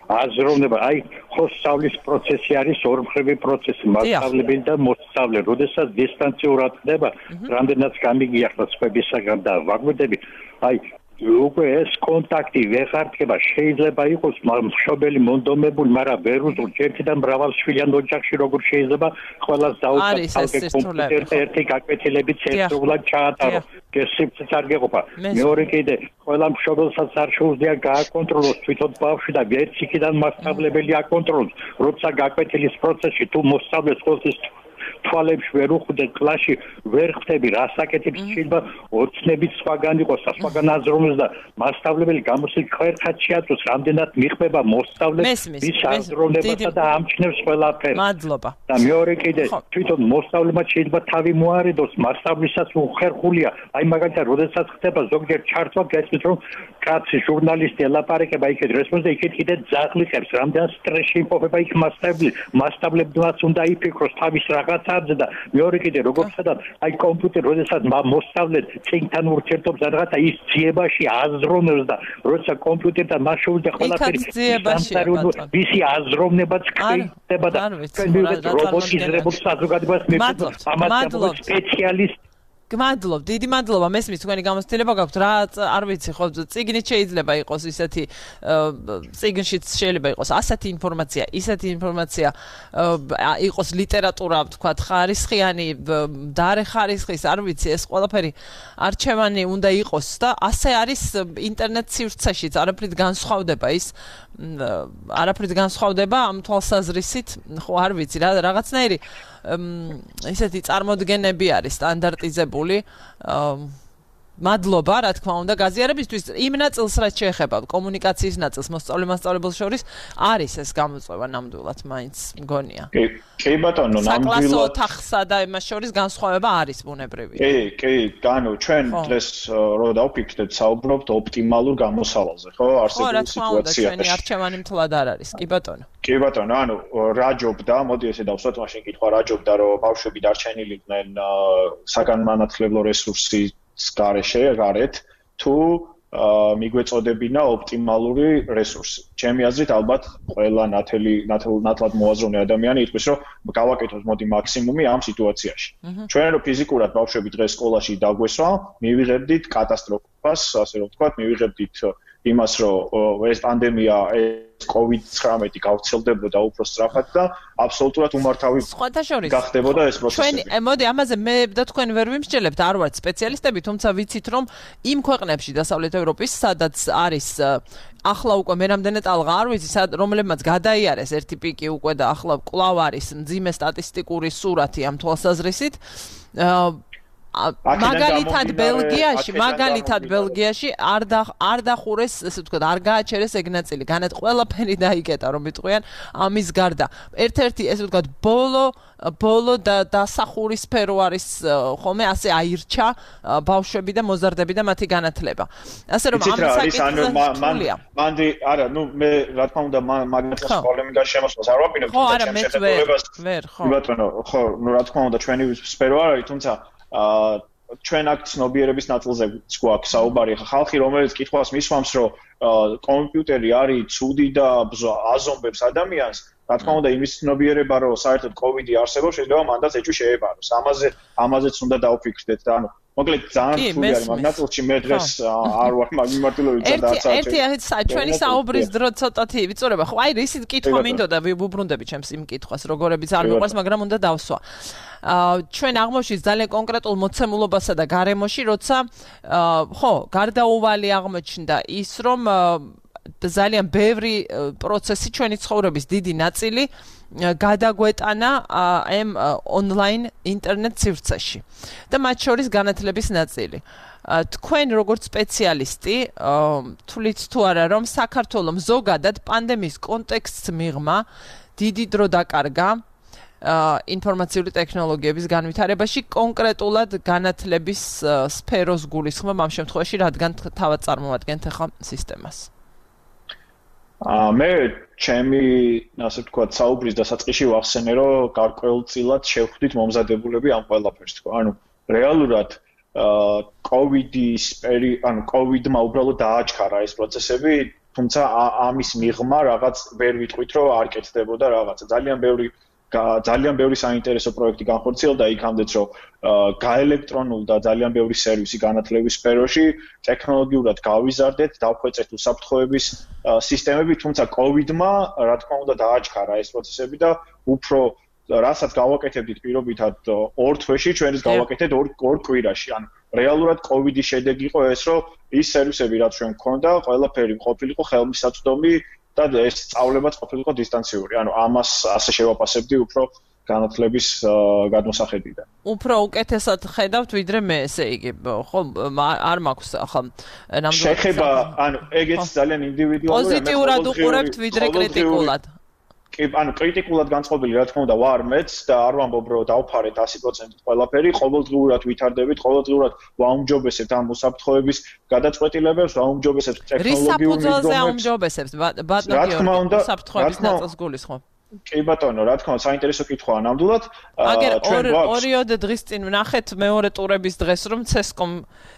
აზროვნება, აი, ხო სწავლის პროცესი არის ორმხრივი პროცესი, მასშტაბები და მოსწავლე, როდესაც დისტანციურად ხდება, რამდენიც გამიგიახდა სხვებისაგან და ვაგვირდები, აი, უკვე ეს კონტაქტი ვეღარდება, შეიძლება იყოს მშობელი მონდომებული, მაგრამ ვერ უძულ ერთიდან მრავალშვილიან ოჯახში როგორ შეიძლება ყველას დაუწყოს კომპიუტერზე ერთი გაკვეთილებით ერთდროულად ჩაატარო. გესიფციც არ გეყოფა. მეორე კიდე ყველა მშობელსაც არ შეუძლია გააკონტროლოს თვითონ ბავშვი და ვერც იქიდან მასწავლებელი აკონტროლოს. როცა გაკვეთილის პროცესში თუ მოსწავლეს ყოველთვის თვალებში ვერ უხვდეთ კლასში ვერ ხვდები რა საკეთებს შეიძლება ოცნებით სხვაგან იყოს და სხვაგან აზროვნოს და მასწავლებელი გამოსილ ხერხად შეაწოს რამდენად მიხვდება მოსწავლეს ის აზროვნებასა და ამჩნევს ყველაფერს მადლობა და მეორე კიდე თვითონ მოსწავლემა შეიძლება თავი მოარიდოს მასწავლისას უხერხულია აი მაგალითად როდესაც ხდება ზოგჯერ ჩართვა გესმის რომ კაცი ჟურნალისტი ელაპარაკება იქეთ რესპონსი იქეთ კიდე ძაღლიყებს რამდენ სტრესში იმყოფება იქ მასწავლებელი მასწავლებელს უნდა იფიქროს თავის რაღაც და მეორე კიდე როგორც სადაც აი კომპიუტერი როდესაც მოსწავლეთ წინთან ურთიერთობს რაღაცა ის ძიებაში აზროვნებს და როცა კომპიუტერთან მას შეუძლია ყველაფერი ვისი აზროვნებაც ხდება და რობოტიზებულ საზოგადოებას მიეწოდება ამას სპეციალისტ გმადლობ, დიდი მადლობა, მესმის თქვენი გამოცდილება გაქვთ, რა არ ვიცი, ხო, წიგნით შეიძლება იყოს ისეთი წიგნშიც შეიძლება იყოს ასეთი ინფორმაცია, ისეთი ინფორმაცია იყოს ლიტერატურა, ვთქვათ, ხარისხიანი, დარე ხარისხის, არ ვიცი, ეს ყველაფერი არჩევანი უნდა იყოს და ასე არის ინტერნეტ სივრცეშიც, არაფრით განსხვავდება ის არაფრით განსხვავდება ამ თვალსაზრისით, ხო, არ ვიცი, რა რაღაცნაირი ისეთი წარმოდგენები არის სტანდარტიზებული. მადლობა, რა თქმა უნდა, გაზიარებისთვის იმ ნაწილს რაც შეეხება კომუნიკაციის ნაწილს მოსწავლე-მასწავლებელს შორის არის ეს გამოწვევა ნამდვილად მაინც მგონია. კი, კი ბატონო, ნამდვილად. საკლასო ოთახსა და იმას შორის განსხვავება არის ბუნებრივი. კი, კი, ანუ ჩვენ დღეს რო დავფიქრდეთ, საუბრობთ ოპტიმალურ გამოსავალზე, ხო, არსებულ სიტუაციაში. ხო, რა თქმა უნდა, ჩვენი არჩევანი მთლად არ არის, კი ბატონო. კი ბატონო, ანუ რა ჯობდა, მოდი ესე დავსვათ, მაშინ კითხვა რა ჯობდა, რომ ბავშვები დარჩენილიყვნენ საგანმანათლებლო რესურსის გარეშე, გარეთ, თუ მიგვეწოდებინა ოპტიმალური რესურსი. ჩემი აზრით, ალბათ ყველა ნათელი ნათლად მოაზროვნე ადამიანი იტყვის, რომ გავაკეთოთ მოდი მაქსიმუმი ამ სიტუაციაში. ჩვენ რო ფიზიკურად ბავშვები დღეს სკოლაში დაგვესვა, მივიღებდით კატასტროფას, ასე რომ ვთქვათ, მივიღებდით იმას, რომ ეს პანდემია, ეს კოვიდ ცხრამეტი გავრცელდებოდა უფრო სწრაფად და აბსოლუტურად უმართავი გახდებოდა ეს პროცესები. ჩვენ, მოდი, ამაზე მე და თქვენ ვერ ვიმსჯელებთ, არ ვართ სპეციალისტები, თუმცა ვიცით, რომ იმ ქვეყნებში დასავლეთ ევროპის, სადაც არის ახლა უკვე მე რამდენი ტალღა არ ვიცი, რომლებმაც გადაიარეს ერთი პიკი უკვე და ახლა კვლავ არის მძიმე სტატისტიკური სურათი ამ თვალსაზრისით. მაგალითად ბელგიაში, მაგალითად ბელგიაში არ არ დახურეს, ესე ვთქვათ, არ გააჩერეს ეგ ნაწილი. განეთ ყველაფერი დაიკეტა, რომ იტყვიან ამის გარდა. ერთ-ერთი, ესე ვთქვათ, ბოლო ბოლო და დასახური სფერო არის ხოლმე ასე აირჩა ბავშვები და მოზარდები და მათი განათლება. ასე რომ ამ საკითხზე მანდი, არა, ნუ მე რა თქმა უნდა მაგალითად პოლემიკას შემოსვლას არ ვაპირებ, თუმცა ჩემ შეხედულებას ვერ, ხო. ბატონო, ხო, ნუ რა თქმა უნდა ჩვენი სფერო არ არის, თუმცა აა ჩვენ აქ ცნობიერების ნაწილზე გვაქვს საუბარი. ხალხი რომელიც კითხვას მისვამს, რომ კომპიუტერი არის ცუდი და აზომბებს ადამიანს, რა თქმა უნდა იმის ცნობიერება, რომ საერთოდ კოვიდი არსებობს, შეიძლება მანდაც ეჭვი შეებაროს. ამაზე ამაზეც უნდა დავფიქრდეთ და ანუ მოკლედ ძალიან რთული არის მაგ ნაწილში მე დღეს არ ვარ მაგ მიმართულებით სადაც ერთი ერთი ჩვენი საუბრის დრო ცოტათი ვიწურება. ხო, აი ისიც კითხვა მინდოდა ვუბრუნდები ჩემს იმ კითხვას, როგორებიც არ მიყვარს, მაგრამ უნდა დავსვა. ჩვენ აღმოჩნდა ძალიან კონკრეტულ მოცემულობასა და გარემოში, როცა ხო, გარდაუვალი აღმოჩნდა ის, რომ ძალიან ბევრი პროცესი ჩვენი ცხოვრების დიდი ნაწილი გადაგვეტანა ამ ონლაინ ინტერნეტ სივრცეში და მათ შორის განათლების ნაწილი. თქვენ როგორც სპეციალისტი თვლით თუ არა, რომ საქართველოს ზოგადად პანდემიის კონტექსტს მიღმა დიდი დრო დაკარგა ინფორმაციული ტექნოლოგიების განვითარებაში, კონკრეტულად განათლების სფეროს გულისხმობ ამ შემთხვევაში, რადგან თავად წარმოვადგენთ ახლა სისტემას. აა მე ჩემი, ასე ვთქვათ, საუბრის დასაწყისში ვახსენე, რომ გარკვეულწილად შევხვდით მომზადებულები ამ ყველაფერს, თქო. ანუ რეალურად აა კოვიდის პერი, ანუ კოვიდმა უბრალოდ დააჩქარა ეს პროცესები, თუმცა ამის მიღმა რაღაც ვერ ვიტყვით, რომ არ კეთდებოდა რაღაცა. ძალიან ბევრი ძალიან ბევრი საინტერესო პროექტი განხორციელდა იქამდეც, რომ გაელექტრონულდა ძალიან ბევრი სერვისი განათლების სფეროში, ტექნოლოგიურად გავიზარდეთ, დავხვეწეთ უსაფრთხოების სისტემები, თუმცა კოვიდმა, რა თქმა უნდა, დააჩქარა ეს პროცესები და უფრო რასაც გავაკეთებდით პირობითად ორ თვეში, ჩვენ ის გავაკეთეთ ორ კვირაში. ანუ რეალურად კოვიდის შედეგი იყო ეს, რომ ის სერვისები, რაც ჩვენ გვქონდა, ყველაფერი ყოფილიყო ხელმისაწვდომი და ეს სწავლებაც ყოფილიყო დისტანციური. ანუ ამას ასე შევაფასებდი უფრო განათლების გადმოსახედიდან. უფრო უკეთესად ხედავთ ვიდრე მე, ესე იგი, ხო, არ მაქვს ახლა ნამდვილად შეხება, ანუ ეგეც ძალიან ინდივიდუალურია. პოზიტიურად უყურებთ ვიდრე კრიტიკულად. კი, ანუ კრიტიკულად განწყობილი, რა თქმა უნდა, ვარ მეც და არ ვამბობ, რომ დავფარეთ ათი პროცენტით ყველაფერი, ყოველდღიურად ვითარდებით, ყოველდღიურად ვაუმჯობესებთ ამ უსაფრთხოების გადაწყვეტილებებს, ვაუმჯობესებთ ტექნოლოგიურ მიდგომებს. რის საფუძველზე აუმჯობესებთ, ბატონო გიორგი, უსაფრთხოების ნაწილს გულისხმობ? კი ბატონო, რა თქმა უნდა, საინტერესო კითხვაა ნამდვილად. აგერ ორიოდ დღის წინ ვნახეთ მეორე ტურების დღეს, რომ ცესკომ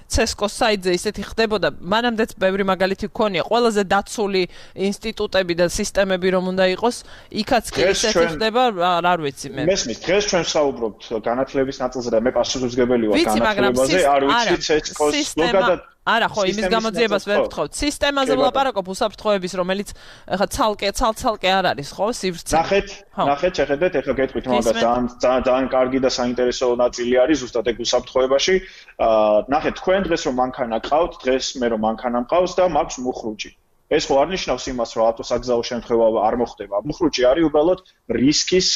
ცესკოს საიტზე ისეთი ხდებოდა, მანამდეც ბევრი მაგალითი გქონია, ყველაზე დაცული ინსტიტუტები და სისტემები რომ უნდა იყოს, იქაც კი ისეთი ხდება, არ ვიცი მე. მესმის, დღეს ჩვენ ვსაუბრობთ განათლების ნაწილზე და მე პასუხისმგებელი ვარ განათლებაზე, არ ვიცი ცესკოს ლოგადად არა, ხო, იმის გამოძიებას ვერ ვთხოვთ. სისტემაზე ვლაპარაკობ უსაფრთხოების, რომელიც ახლა ცალკე, ცალ-ცალკე არ არის, ხო, სივრცე. ნახეთ, ნახეთ, შეხედეთ, ახლა გეტყვით მაგას, ძალიან ძალიან კარგი და საინტერესო ნაწილი არის ზუსტად ეგ უსაფრთხოებაში. აა, ნახეთ, თქვენ დღეს რომ მანქანა ყავთ, დღეს მე რომ მანქანა მყავს და მაქვს მუხრუჭი. ეს ხო არ ნიშნავს იმას, რომ ავტოსაგზაო შემთხვევა არ მოხდება. მუხრუჭი არის უბრალოდ რისკის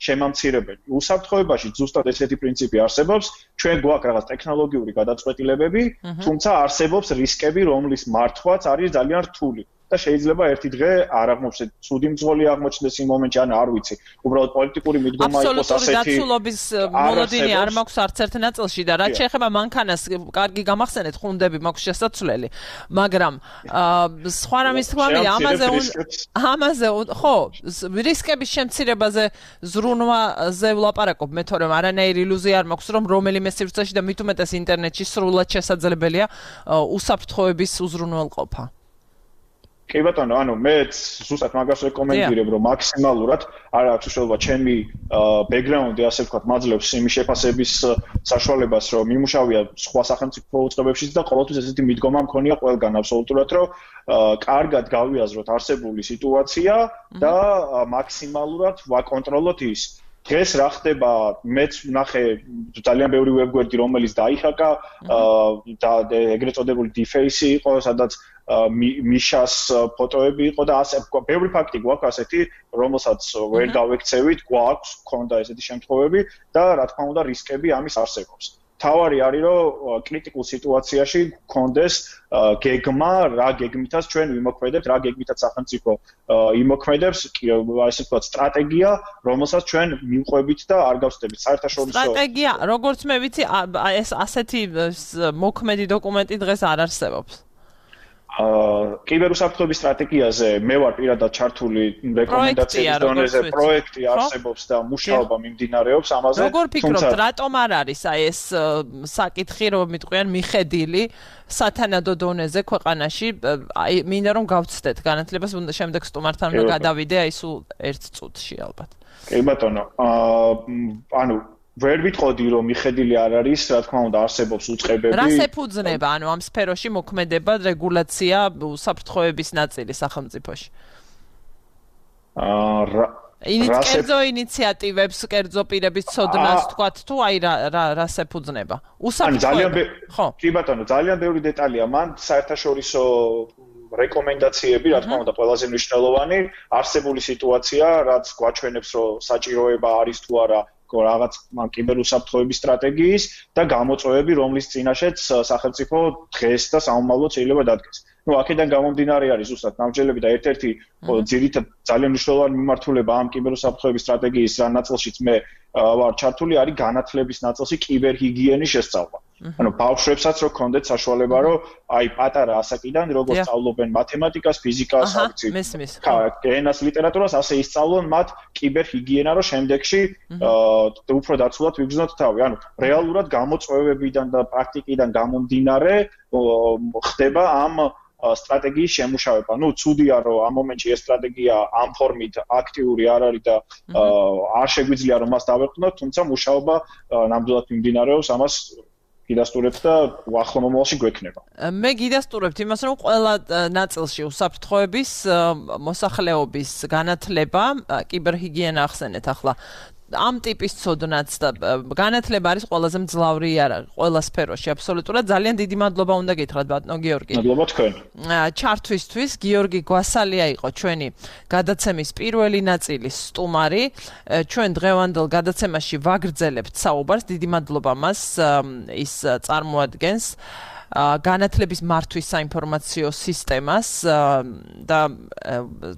შემამცირებელი. უსაფრთხოებაში ზუსტად ესეთი პრინციპი არსებობს. ჩვენ გვაქვს რაღაც ტექნოლოგიური გადაწყვეტილებები, თუმცა არსებობს რისკები, რომლის მართვაც არის ძალიან რთული. და შეიძლება ერთი დღე არ აღმოჩნდეს, ცუდი მძღოლი აღმოჩნდეს იმ მომენტში, ან არ ვიცი. უბრალოდ პოლიტიკური მიდგომა იყოს ასეთი. აბსოლუტური დაცულობის მოლოდინი არ მაქვს არც ერთ ნაწილში და რაც შეეხება მანქანას, კარგი გამახსენეთ, ხუნდები მაქვს შესაძლებელი, მაგრამ სხვა რამის თქმამი, ამაზე ამაზე ხო, რისკების შემცირებაზე ზრუნვაზე ვლაპარაკობ, მე თორემ არანაირი ილუზია არ მაქვს, რომ რომელიმე სივრცეში და მით უმეტეს ინტერნეტში სრულად შესაძლებელია უსაფრთხოების უზრუნველყოფა. კი ბატონო, ანუ მეც ზუსტად მაგას რეკომენდირებ, რომ მაქსიმალურად არ აქვს უშუალოდ ჩემი ბექგრაუნდი, ასე ვთქვათ, მაძლევს იმის შეფასების საშუალებას, რომ მიმუშავია სხვა სახელმწიფო უწყებებშიც და ყოველთვის ესეთი მიდგომა მქონია ყველგან აბსოლუტურად, რომ კარგად გავიაზროთ არსებული სიტუაცია და მაქსიმალურად ვაკონტროლოთ ის. დღეს რა ხდება, მეც ვნახე ძალიან ბევრი ვებგვერდი, რომელიც დაიხაკა და ეგრეთ წოდებული დიფეისი იყო, სადაც მიშას ფოტოები იყო და ასე ბევრი ფაქტი გვაქვს ასეთი, რომელსაც ვერ გავექცევით, გვაქვს, ქონდა ესეთი შემთხვევები და რა თქმა უნდა რისკები ამის არსებობს. თავარი არის, რომ კრიტიკულ სიტუაციაში გქონდეს გეგმა, რა გეგმითაც ჩვენ ვიმოქმედებთ, რა გეგმითაც სახელმწიფო იმოქმედებს, ასე ვთქვათ, სტრატეგია, რომელსაც ჩვენ მივყვებით და არ გავსდებით. საერთაშორისო სტრატეგია, როგორც მე ვიცი, ეს ასეთი მოქმედი დოკუმენტი დღეს არ არსებობს. აა კიბერუსაფრთხოების სტრატეგიაზე მე ვარ პირადად ჩართული რეკომენდაციების დონეზე, პროექტი არსებობს და მუშაობა მიმდინარეობს ამაზე. როგორ ფიქრობთ, რატომ არ არის აი ეს საკითხი, რომ მიტყვიან მიხედილი სათანადო დონეზე ქვეყანაში, აი მინდა რომ გავცდეთ განათლებას, შემდეგ სტუმართან უნდა გადავიდე აი სულ ერთ წუთში ალბათ. კი ბატონო, აა ანუ ვერ ვიტყოდი რომ მიხედილი არ არის, რა თქმა უნდა არსებობს უწყებები. რას ეფუძნება, ანუ ამ სფეროში მოქმედება, რეგულაცია, უსაფრთხოების ნაწილი სახელმწიფოში? აა კერძო ინიციატივებს, კერძო პირების ცოდნას თქვათ თუ აი რა რას ეფუძნება? უსაფრთხოება. ხო. კი ბატონო, ძალიან ბევრი დეტალია მან საერთაშორისო რეკომენდაციები, რა თქმა უნდა, ყველაზე მნიშვნელოვანი არსებული სიტუაცია, რაც გვაჩვენებს, რომ საჭიროება არის თუ არა რაღაც კიბერუსაფრთხოების სტრატეგიის და გამოწვევები, რომლის წინაშეც სახელმწიფო დღეს და საომავლოდ შეიძლება დადგეს. ნუ აქედან გამომდინარე არის ზუსტად ნამჯერები და ერთ-ერთი ძირითად ძალიან მნიშვნელოვანი მიმართულება ამ კიბერუსაფრთხოების სტრატეგიის რა ნაწილშიც მე ვარ ჩართული არის განათლების ნაწილში კიბერჰიგიენის შესწავლა. ანუ ბავშვებსაც რო კონდეთ საშუალება, რომ აი პატარა ასაკიდან როგორც სწავლობენ მათემატიკას, ფიზიკას, ავიცი. მესმის. ენას, ლიტერატურას, ასე ისწავლონ მათ კიბერჰიგიენა, რომ შემდეგში უფრო დაცულად ვიგრძნოთ თავი. ანუ რეალურად გამოწვევებიდან და პრაქტიკიდან გამომდინარე ხდება ამ სტრატეგიის შემუშავება. ნუ ცუდია რომ ამ მომენტში ეს სტრატეგია ამ ფორმით აქტიური არ არის და არ შეგვიძლია რომ მას დავეყვნოთ, თუმცა მუშაობა ნამდვილად მიმდინარეობს, ამას გიდასტურებთ და ახლო მომავალში გვექნება. მე გიდასტურებთ იმას, რომ ყველა ნაწილში უსაფრთხოების მოსახლეობის განათლება, კიბერჰიგიენა ახსენეთ ახლა. ამ ტიპის ცოდნაც და განათლება არის ყველაზე მძლავრი არა ყველა სფეროში აბსოლუტურად ძალიან დიდი მადლობა უნდა გითხრათ ბატონო გიორგი. მადლობა თქვენ. ჩართვისთვის გიორგი გვასალია იყო ჩვენი გადაცემის პირველი ნაწილის სტუმარი. ჩვენ დღევანდელ გადაცემაში ვაგრძელებთ საუბარს. დიდი მადლობა მას ის წარმოადგენს განათლების მართვის საინფორმაციო სისტემას და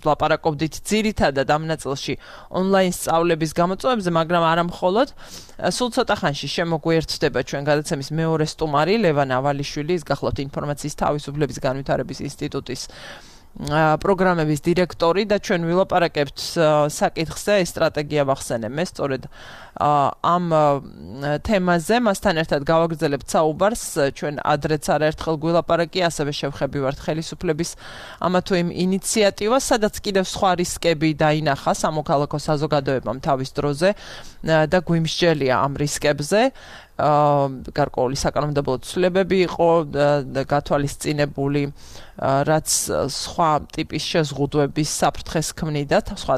ლაპარაკობდით ძირითადად ამ ნაწილში ონლაინ სწავლების გამოწვევებზე, მაგრამ არა მხოლოდ. სულ ცოტა ხანში შემოგვიერთდება ჩვენ გადაცემის მეორე სტუმარი ლევან ავალიშვილი, ის გახლავთ ინფორმაციის თავისუფლების განვითარების ინსტიტუტის პროგრამების დირექტორი და ჩვენ ვილაპარაკებთ საკითხზე, ეს სტრატეგია ვახსენე მე სწორედ ამ თემაზე, მასთან ერთად გავაგრძელებთ საუბარს, ჩვენ ადრეც არაერთხელ გვილაპარაკია, ასევე შევხებივართ ხელისუფლების ამა თუ იმ ინიციატივას, სადაც კიდევ სხვა რისკები დაინახა სამოქალაქო საზოგადოებამ თავის დროზე და გვიმსჯელია ამ რისკებზე. გარკვეული საკანონმდებლო ცვლილებები იყო გათვალისწინებული, რაც სხვა ტიპის შეზღუდვების საფრთხეს ქმნიდა, სხვა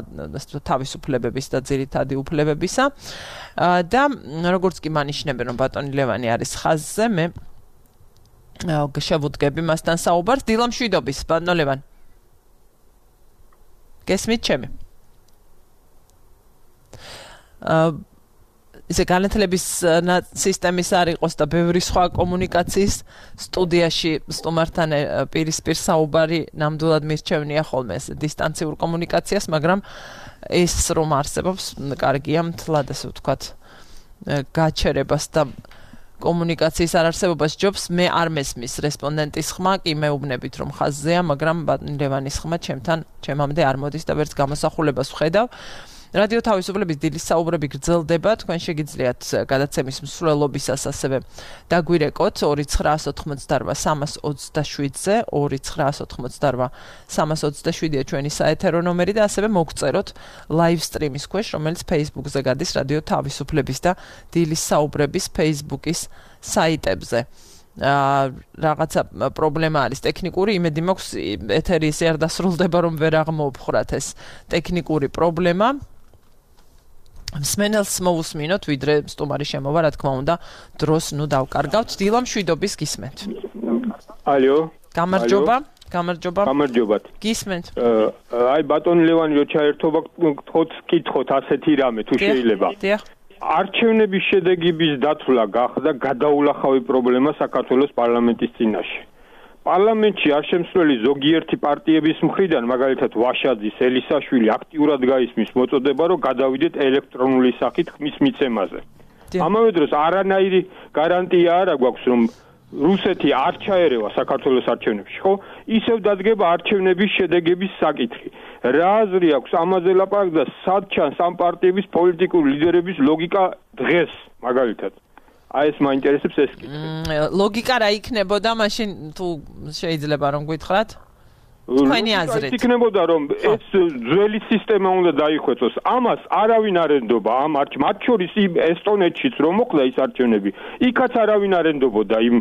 თავისუფლებების და ძირითადი უფლებებისა. და როგორც კი მანიშნებენ, რომ ბატონი ლევანი არის ხაზზე, მე შევუდგები მასთან საუბარს. დილა მშვიდობის, ბატონო ლევან. გესმით ჩემი? ისე განათლების სისტემის არ იყოს და ბევრი სხვა კომუნიკაციის სტუდიაში სტუმართან პირისპირ საუბარი ნამდვილად მირჩევნია ხოლმე ეს დისტანციურ კომუნიკაციას, მაგრამ ეს რომ არსებობს, კარგია მთლად ასე ვთქვათ გაჩერებას და კომუნიკაციის არარსებობას ჯობს. მე არ მესმის რესპონდენტის ხმა, კი მეუბნებით რომ ხაზზეა, მაგრამ ბატონ ლევანის ხმა ჩემთან ჩემამდე არ მოდის და ვერც გამოსახულებას ვხედავ. რადიო თავისუფლების დილის საუბრები გრძელდება, თქვენ შეგიძლიათ გადაცემის მსვლელობისას ასევე დაგვირეკოთ ორი ცხრაას ოთხმოცდარვა სამას ოცდაშვიდზე, ორი ცხრაას ოთხმოცდარვა სამას ოცდაშვიდია ჩვენი საეთერო ნომერი და ასევე მოგწეროთ live stream-ის ქვეშ, რომელიც Facebook-ზე გადის რადიო თავისუფლების და დილის საუბრების Facebook-ის საიტებზე. რაღაცა პრობლემა არის ტექნიკური, იმედი მაქვს ეთერი ისე არ დასრულდება, რომ ვერ აღმოუფხრათ ეს ტექნიკური პრობლემა. მსმენელს მოусმინოთ, ვიდრე სტუმარი შემოვა, რა თქმა უნდა, დროს ნუ დავკარგავთ. დილა მშვიდობის გისმენთ. ალო. გამარჯობა. გამარჯობა. გამარჯობათ. გისმენთ. აი ბატონი ლევანი რო ჩაერთობა, თქოთ კითხოთ ასეთი რამე თუ შეიძლება. დიახ. არჩევნების შედეგების დათვლა გახდა გადაულახავი პრობლემა საქართველოს პარლამენტის წინაშე. პარლამენტში არ შემსვლელი ზოგიერთი პარტიების მხრიდან, მაგალითად ვაშაძის, ელისაშვილი აქტიურად გაისმის მოწოდება, რომ გადავიდეთ ელექტრონული სახით ხმის მიცემაზე. ამავე დროს არანაირი გარანტია არ აქვს, რომ რუსეთი არ ჩაერევა საქართველოს არჩევნებში, ხო? ისევ დადგება არჩევნების შედეგების საკითხი. რა აზრი აქვს ამაზე ლაპარაკს და სად ჩანს ამ პარტიების პოლიტიკური ლიდერების ლოგიკა დღეს, მაგალითად? აი ეს მაინტერესებს ეს კითხვა. ლოგიკა რა იქნებოდა მაშინ თუ შეიძლება რომ გითხრათ? თქვენი აზრით. იქნებოდა რომ ეს ძველი სისტემა უნდა დაიხვეწოს. ამას არავინ არ ენდობა ამ არჩევნებში, მათ შორის ესტონეთშიც რომ მოხდა ის არჩევნები, იქაც არავინ არ ენდობოდა იმ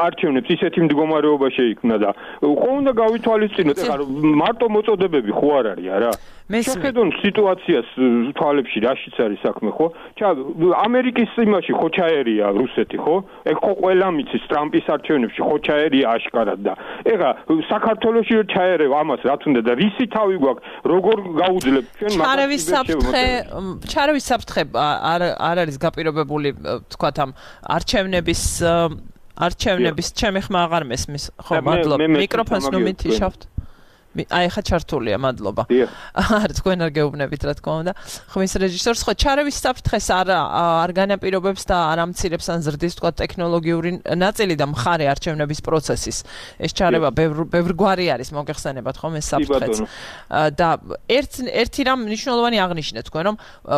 არჩევნებს, ისეთი მდგომარეობა შეიქმნა და ხო უნდა გავითვალისწინოთ, ეხლა მარტო მოწოდებები ხო არ არის არა? შეხედონ სიტუაციას თვალებში რაშიც არის საქმე, ხო? ჩა ამერიკის იმაში ხო ჩაერია რუსეთი, ხო? ეგ ხო ყველა მიცის ტრამპის არჩევნებში ხო ჩაერია აშკარად და ეხლა საქართველოში რო ჩაერევა ამას რა თუნდა და რისი თავი გვაქვს, როგორ გაუძლებ ჩვენ მაგას? ჩარევის საფრთხე, ჩარევის საფრთხე არ არ არის გაპირობებული, თქვათ ამ არჩევნების არჩევნების ჩემი ხმა აღარ მესმის. ხო, მადლობა. მიკროფონს ნუ მითიშავთ. აი ხა ჩართულია, მადლობა. არ თქვენ არ გეუბნებით რა თქმა უნდა. ხმის რეჟისორს ხო ჩარევის საფრთხეს არ არ განაპირობებს და არ ამცირებს ან ზრდის თქვა ტექნოლოგიური ნაწილი და მხარე არჩევნების პროცესის. ეს ჩარევა ბევრგვარი არის, მოგეხსენებათ ხომ ეს საფრთხეც. და ერთ ერთი რამ მნიშვნელოვანი აღნიშნეთ თქვენ რომ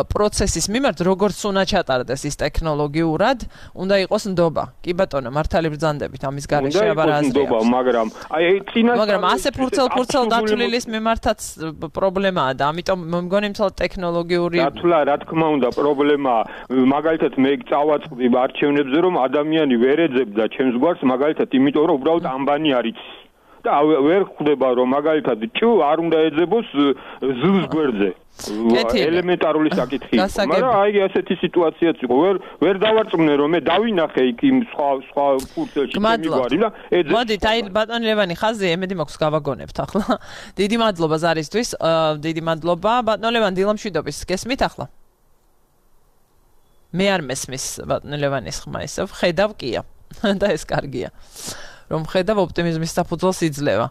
პროცესის მიმართ როგორც უნდა ჩატარდეს ის ტექნოლოგიურად, უნდა იყოს ნდობა. კი ბატონო, მართალი ბრძანდებით ამის გარეშე აბარ აზრი. მაგრამ აი წინასწარ მაგრამ ასე ფურცელ-ფურცელ დათვლილის მიმართაც პრობლემაა და ამიტომ მომგონი მთელ ტექნოლოგიური დათვლა რა თქმა უნდა პრობლემაა მაგალითად მე წავაწყდი არჩევნებზე რომ ადამიანი ვერ ეძებდა ჩემს გვარს მაგალითად იმიტომ რომ უბრალოდ ამბანი არის და ვერ ხვდება რომ მაგალითად ჭუ არ უნდა ეძებოს ზუს გვერდზე ელემენტარული საკითხი მაგრამ აი ასეთი სიტუაციაც იყო ვერ ვერ დავარწმუნე რომ მე დავინახე იქ იმ სხვა სხვა ფურცელში მიგვარი და ეძებს მოდით აი ბატონ ლევანი ხაზი ემედი მაქვს გავაგონებთ ახლა დიდი მადლობა ზარისთვის დიდი მადლობა ბატონ ლევან დილამშვიდობის გესმით ახლა მე არ მესმის ბატონ ლევანის ხმა ისევ ხედავ კია და ეს კარგია რომ ხედავ ოპტიმიზმის საფუძველს იძლევა.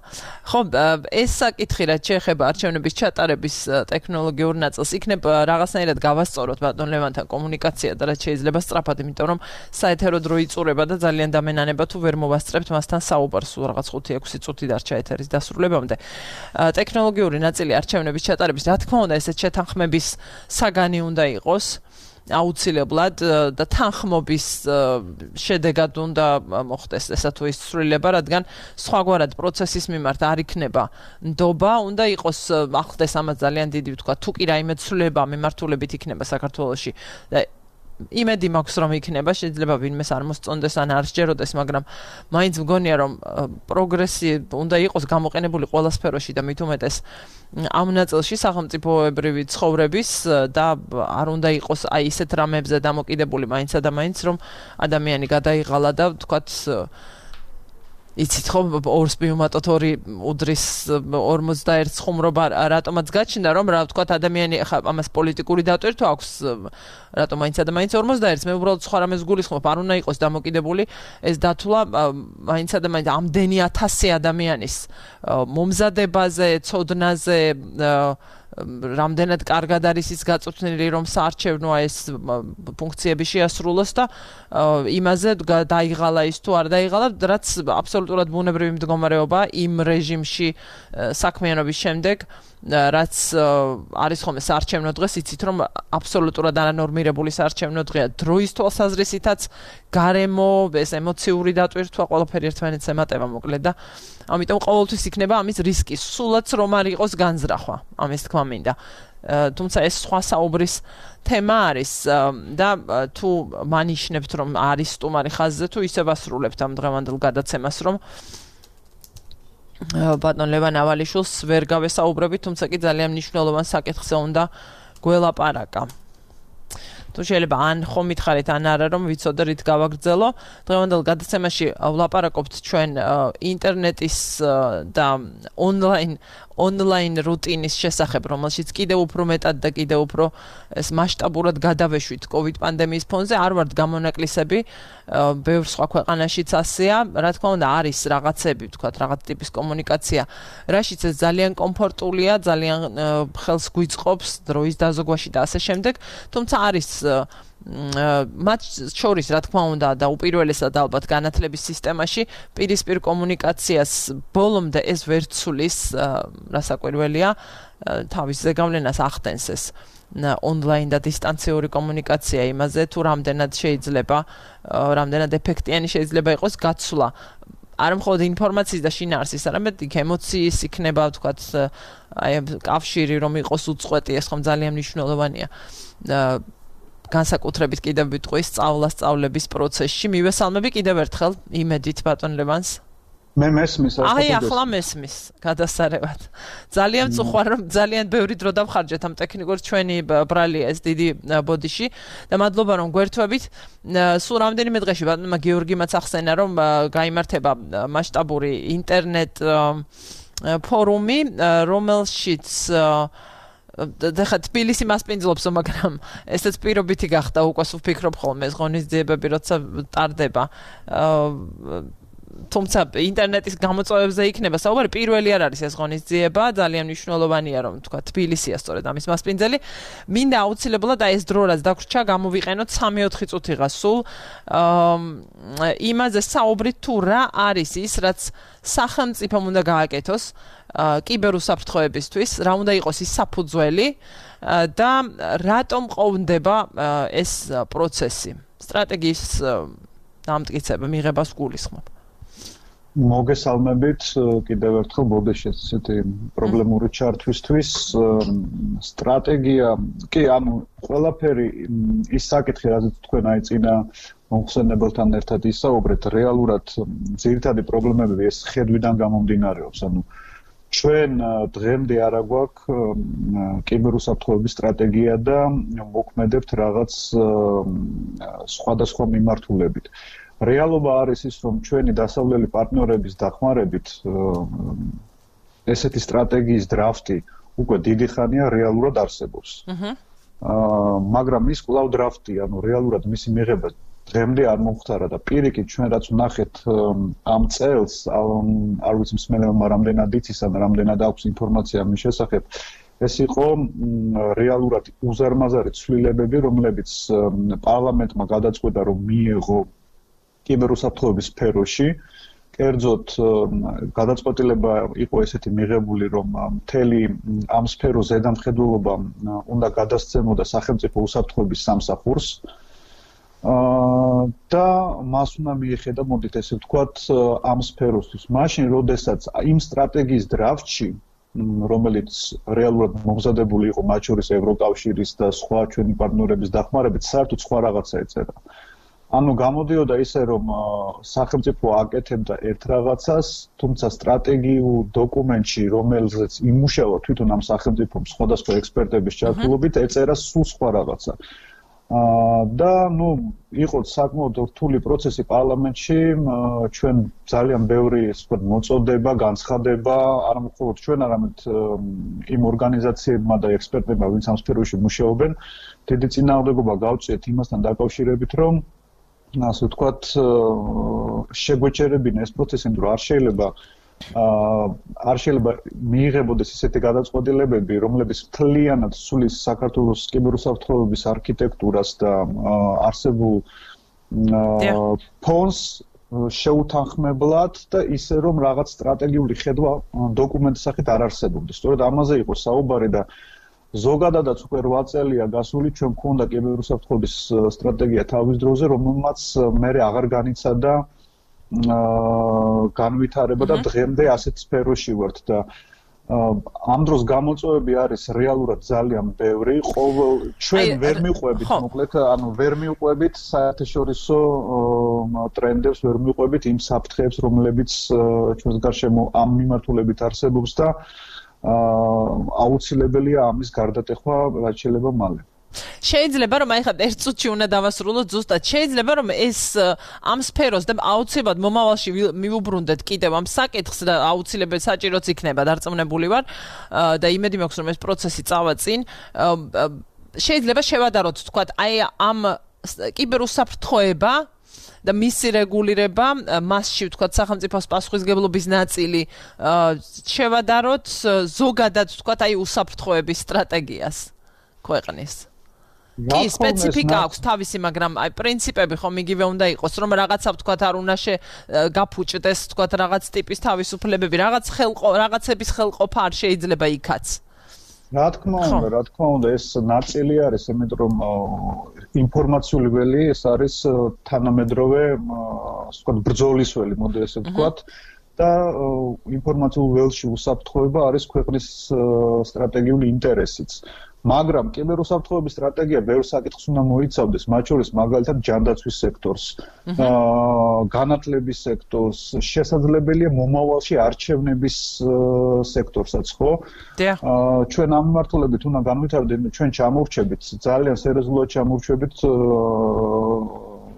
ხო, ეს საკითხი რაც შეეხება არჩევნების ჩატარების ტექნოლოგიურ ნაწილს, იქნებ რაღაცნაირად გავასწოროთ ბატონ ლევანთან კომუნიკაცია და რაც შეიძლება სწრაფად, იმიტომ რომ საეთერო დრო იწურება და ძალიან დამენანება თუ ვერ მოვასწრებთ მასთან საუბარს, რაღაც ხუთი ექვსი წუთი დარჩა ეთერის დასრულებამდე. ტექნოლოგიური ნაწილი არჩევნების ჩატარების, რა თქმა უნდა, ესეთ შეთანხმების საგანი უნდა იყოს. აუცილებლად და თანხმობის შედეგად უნდა მოხდეს ესა თუ ის ცვლილება, რადგან სხვაგვარად პროცესის მიმართ არ იქნება ნდობა, უნდა იყოს ახლდეს ამას ძალიან დიდი ვთქვა, თუ კი რაიმე ცვლილება მიმართულებით იქნება საქართველოში და იმედი მაქვს რომ იქნება, შეიძლება ვინმეს არ მოსწონდეს ან არ სჯეროდეს, მაგრამ მაინც მგონია რომ პროგრესი უნდა იყოს გამოყენებული ყველა სფეროში და მით უმეტეს ამ ნაწილში სახელმწიფოებრივი ცხოვრების და არ უნდა იყოს აი ისეთ რამებზე დამოკიდებული მაინც და მაინც რომ ადამიანი გადაიღალა და ვთქვათ იცით ხო ორს მივუმატოთ ორი უდრის ორმოცდაერთს ხუმრობა რატომაც გაჩნდა რომ რა ვთქვათ ადამიანი ხა ამას პოლიტიკური დატვირთვა აქვს რატომ მაინც და მაინც ორმოცდაერთს მე უბრალოდ სხვა რამეს გულისხმობ არ უნდა იყოს დამოკიდებული ეს დათვლა მაინც და მაინც ამდენი ათასი ადამიანის მომზადებაზე ცოდნაზე რამდენად კარგად არის ის გაწვრთნილი რომ საარჩევნოა ეს ფუნქციები შეასრულოს და იმაზე დაიღალა ის თუ არ დაიღალა რაც აბსოლუტურად ბუნებრივი მდგომარეობა იმ რეჟიმში საქმიანობის შემდეგ რაც არის ხოლმე საარჩევნო დღეს იცით რომ აბსოლუტურად არანორმირებული საარჩევნო დღეა დროის თვალსაზრისითაც გარემო ეს ემოციური დატვირთვა ყველაფერი ერთმანეთს ემატება მოკლედ და ამიტომ ყოველთვის იქნება ამის რისკი სულაც რომ არ იყოს განზრახვა ამის თქმა მინდა თუმცა ეს სხვა საუბრის თემა არის და თუ მანიშნებთ რომ არის სტუმარი ხაზზე თუ ისევ ასრულებთ ამ დღევანდელ გადაცემას რომ ბატონ ლევან ავალიშვილს ვერ გავესაუბრებით, თუმცა კი ძალიან მნიშვნელოვან საკითხზე უნდა გველაპარაკა. თუ შეიძლება ან ხომ მითხარით ან არა რომ ვიცოდე რით გავაგრძელო. დღევანდელ გადაცემაში ვლაპარაკობთ ჩვენ ინტერნეტის და ონლაინ ონლაინ რუტინის შესახებ, რომელშიც კიდევ უფრო მეტად და კიდევ უფრო ეს მასშტაბურად გადავეშვით COVID პანდემიის ფონზე, არ ვართ გამონაკლისები, ბევრ სხვა ქვეყანაშიც ასეა, რა თქმა უნდა არის რაღაცები, ვთქვათ, რაღაც ტიპის კომუნიკაცია, რაშიც ეს ძალიან კომფორტულია, ძალიან ხელს გვიწყობს დროის დაზოგვაში და ასე შემდეგ, თუმცა არის მათ შორის რა თქმა უნდა და უპირველესად ალბათ განათლების სისტემაში პირისპირ კომუნიკაციას ბოლომდე ეს ვერ ცulis რასაკვირველია თავის ზეგავლენას ახდენს ეს ონლაინ და დისტანციური კომუნიკაცია იმაზე თუ რამდენად შეიძლება რამდენად ეფექტიანი შეიძლება იყოს გაცვლა არ მხოლოდ ინფორმაციის და შინაარსის, არამედ იქ ემოციის იქნება, ვთქვათ, აი კავშირი რომ იყოს უწყვეტი, ეს ხომ ძალიან მნიშვნელოვანია. განსაკუთრებით კიდევ ვიტყვი სწავლა-სწავლების პროცესში. მივესალმები კიდევ ერთხელ იმედით ბატონ ლევანს. მე მესმის ასე. აი ახლა მესმის, გადასარევად. ძალიან წუხარ რომ ძალიან ბევრი დრო დავხარჯეთ ამ ტექნიკურ ჩვენი ბრალია ეს დიდი ბოდიში და მადლობა რომ გვერთვებით. სულ რამდენიმე დღეში ბატონმა გიორგიმაც ახსენა რომ გაიმართება მასშტაბური ინტერნეტ ფორუმი, რომელშიც და ხა თბილისი მასპინძლობს, მაგრამ ესეც პირობითი გახდა უკვე ვფიქრობ ხოლმე ეს ღონისძიებები როცა ტარდება. თუმცა ინტერნეტის გამოწვევებზე იქნება საუბარი, პირველი არ არის ეს ღონისძიება, ძალიან მნიშვნელოვანია რომ თქვა თბილისია სწორედ ამის მასპინძელი. მინდა აუცილებლად აი ეს დრო რაც დაგვრჩა გამოვიყენოთ სამი ოთხი წუთიღა სულ იმაზე საუბრით თუ რა არის ის რაც სახელმწიფომ უნდა გააკეთოს კიბერუსაფრთხოებისთვის, რა უნდა იყოს ის საფუძველი და რატომ ყოფდება ეს პროცესი. სტრატეგიის დამტკიცება მიღებას გულისხმობ. მოგესალმებით კიდევ ერთხელ ბოდეშეს ესეთი პრობლემური ჩართვისთვის სტრატეგია კი ანუ ყველაფერი ის საკითხი რაზეც თქვენ აი წინა მომხსენებელთან ერთად ისაუბრეთ რეალურად ძირითადი პრობლემები ეს ხედვიდან გამომდინარეობს ანუ ჩვენ დღემდე არ აგვაქვს კიბერუსაფრთხოების სტრატეგია და მოქმედებთ რაღაც სხვადასხვა მიმართულებით. რეალობა არის ის, რომ ჩვენი დასავლელი პარტნიორების დახმარებით ესეთი სტრატეგიის დრაფტი უკვე დიდი ხანია რეალურად არსებობს. აა მაგრამ ის კვლავ დრაფტი, ანუ რეალურად მისი მიღება დღემდე არ მომხდარა და პირიქით ჩვენ რაც ვნახეთ ამ წელს არ ვიცი მსმენელმა რამდენად იცის ან რამდენად აქვს ინფორმაცია მის შესახებ ეს იყო რეალურად უზარმაზარი ცვლილებები რომლებიც პარლამენტმა გადაწყვეტა რომ მიიღო კიბერუსაფრთხოების სფეროში კერძოდ გადაწყვეტილება იყო ესეთი მიღებული რომ მთელი ამ სფეროს ზედამხედველობა უნდა გადასცემოდა სახელმწიფო უსაფრთხოების სამსახურს და მას უნდა მიეხედა მოდით ესე ვთქვათ ამ სფეროსთვის. მაშინ როდესაც იმ სტრატეგიის დრაფტში რომელიც რეალურად მომზადებული იყო მათ შორის ევროკავშირის და სხვა ჩვენი პარტნიორების დახმარებით საერთოდ სხვა რაღაცა ეწერა. ანუ გამოდიოდა ისე რომ სახელმწიფო აკეთებდა ერთ რაღაცას, თუმცა სტრატეგიულ დოკუმენტში რომელზეც იმუშავა თვითონ ამ სახელმწიფომ სხვადასხვა ექსპერტების ჩართულობით ეწერა სულ სხვა რაღაცა. და ნუ იყო საკმაოდ რთული პროცესი პარლამენტში, ჩვენ ძალიან ბევრი ასე ვთქვათ მოწოდება, განცხადება, არ მხოლოდ ჩვენ, არამედ იმ ორგანიზაციებმა და ექსპერტებმა, ვინც ამ სფეროში მუშაობენ, დიდი წინააღმდეგობა გავწიეთ იმასთან დაკავშირებით, რომ ასე ვთქვათ შეგვეჩერებინა ეს პროცესი, იმიტომ რომ არ შეიძლება არ შეიძლება მიიღებოდეს ისეთი გადაწყვეტილებები, რომლებიც მთლიანად სულის საქართველოს კიბერუსაფრთხოების არქიტექტურას და არსებულ ფონს შეუთანხმებლად და ისე რომ რაღაც სტრატეგიული ხედვა დოკუმენტის სახით არ არსებობდეს. სწორედ ამაზე იყო საუბარი და ზოგადადაც უკვე რვა წელია გასული, ჩვენ გვქონდა კიბერუსაფრთხოების სტრატეგია თავის დროზე, რომელმაც მერე აღარ განიცადა განვითარება და დღემდე ასეთ სფეროში ვართ და ამ დროს გამოწვევები არის რეალურად ძალიან ბევრი. ყოველ ჩვენ ვერ მიყვებით, მოკლედ, ანუ ვერ მიყვებით საერთაშორისო ტრენდებს, ვერ მიყვებით იმ საფრთხეებს, რომლებიც ჩვენს გარშემო ამ მიმართულებით არსებობს და აუცილებელია ამის გარდატეხვა რაც შეიძლება მალე. შეიძლება რომ აი ხა ერთ წუთში უნდა დავასრულოთ ზუსტად შეიძლება რომ ეს ამ სფეროს და აუცილებლად მომავალში მივუბრუნდეთ კიდევ ამ საკითხს და აუცილებლად საჭიროც იქნება დარწმუნებული ვარ და იმედი მაქვს რომ ეს პროცესი წავა წინ შეიძლება შევადაროთ თქვა აი ამ კიბერუსაფრთხოება და მისი რეგულირება მასში ვთქვა სახელმწიფოს პასუხისმგებლობის ნაწილი შევადაროთ ზოგადად ვთქვა აი უსაფრთხოების სტრატეგიას ქვეყნის კი სპეციფიკა აქვს თავისი, მაგრამ აი პრინციპები ხომ იგივე უნდა იყოს, რომ რაღაცა ვთქვათ არ უნდა გაფუჭდეს, ვთქვათ რაღაც ტიპის თავისუფლებები, რაღაც ხელყო, რაღაცების ხელყოფა არ შეიძლება იქაც. რა თქმა უნდა, რა თქმა უნდა, ეს ნაწილი არის, იმიტომ რომ ინფორმაციული ველი ეს არის თანამედროვე, ასე ვთქვათ, ბრძოლის ველი, მოდი ესე ვთქვათ. და ინფორმაციულ ველში უსაფრთხოება არის ქვეყნის სტრატეგიული ინტერესიც. მაგრამ კიბერუსაფრთხოების სტრატეგია ბევრ საკითხს უნდა მოიცავდეს, მათ შორის მაგალითად ჯანდაცვის სექტორს, განათლების სექტორს, შესაძლებელია მომავალში არჩევნების სექტორსაც, ხო? ჩვენ ამ მიმართულებით უნდა განვითარდეთ, ჩვენ ჩამოვრჩებით, ძალიან სერიოზულად ჩამოვრჩებით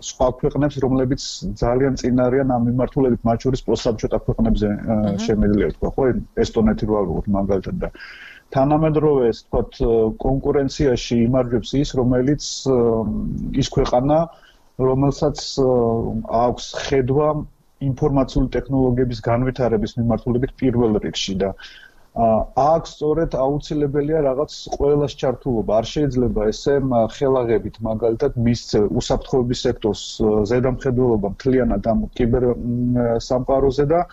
სხვა ქვეყნებს, რომლებიც ძალიან წინ არიან ამ მიმართულებით, მათ შორის პოსტსაბჭოთა ქვეყნებზე შემიძლია თქვა, ხო? ესტონეთი რო ავიღოთ მაგალითად და თანამედროვე, ასე ვთქვათ, კონკურენციაში იმარჯვებს ის, რომელიც ის ქვეყანა, რომელსაც აქვს ხედვა ინფორმაციული ტექნოლოგიების განვითარების მიმართულებით პირველ რიგში და აქ სწორედ აუცილებელია რაღაც ყველას ჩართულობა. არ შეიძლება ესე ხელაღებით მაგალითად მისცე უსაფრთხოების სექტორს ზედამხედველობა მთლიანად ამ კიბერ სამყაროზე და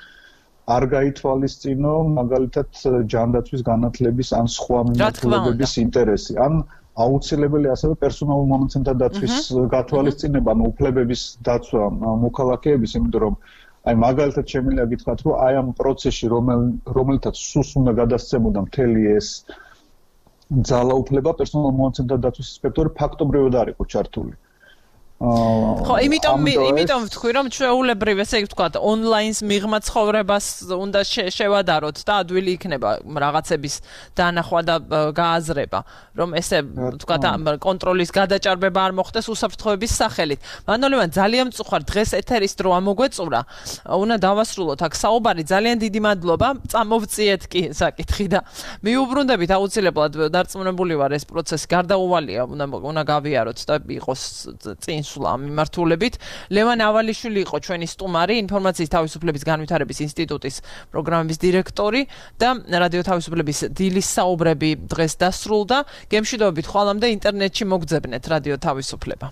არ გაითვალისწინო მაგალითად ჯანდაცვის განათლების ან სხვა მიმართულებების ინტერესი. ან აუცილებელია ასევე პერსონალურ მომენტთა დაცვის გათვალისწინება, ანუ უფლებების დაცვა მოქალაქეების, იმიტომ რომ აი მაგალითად შემიძლია გითხრათ, რომ აი ამ პროცესში რომელთაც სუს უნდა გადასცემოდა მთელი ეს ძალაუფლება პერსონალურ მომენტთა დაცვის ინსპექტორი ფაქტობრივად არ იყო ჩართული. ხო, იმიტომ იმიტომ ვთქვი, რომ ჩვეულებრივ ესე ვთქვათ, ონლაინს მიღმა ცხოვრებას უნდა შევადაროთ და ადვილი იქნება რაღაცების დანახვა და გააზრება, რომ ესე ვთქვათ, კონტროლის გადაჭარბება არ მოხდეს უსაფრთხოების სახელით. მანოლევან ძალიან მწუხარ დღეს ეთერის დრო ამოგვეწურა. უნდა დავასრულოთ აქ საუბარი. ძალიან დიდი მადლობა. წამოვწიეთ კი საკითხი და მიუბრუნდებით აუცილებლად დარწმუნებული ვარ ეს პროცესი გარდაუვალია, უნდა უნდა გავიაროთ და იყოს წინ ამ მიმართულებით. ლევან ავალიშვილი იყო ჩვენი სტუმარი, ინფორმაციის თავისუფლების განვითარების ინსტიტუტის პროგრამების დირექტორი და რადიო თავისუფლების დილის საუბრები დღეს დასრულდა. გემშვიდობებით ხვალამდე ინტერნეტში მოგძებნეთ რადიო თავისუფლება.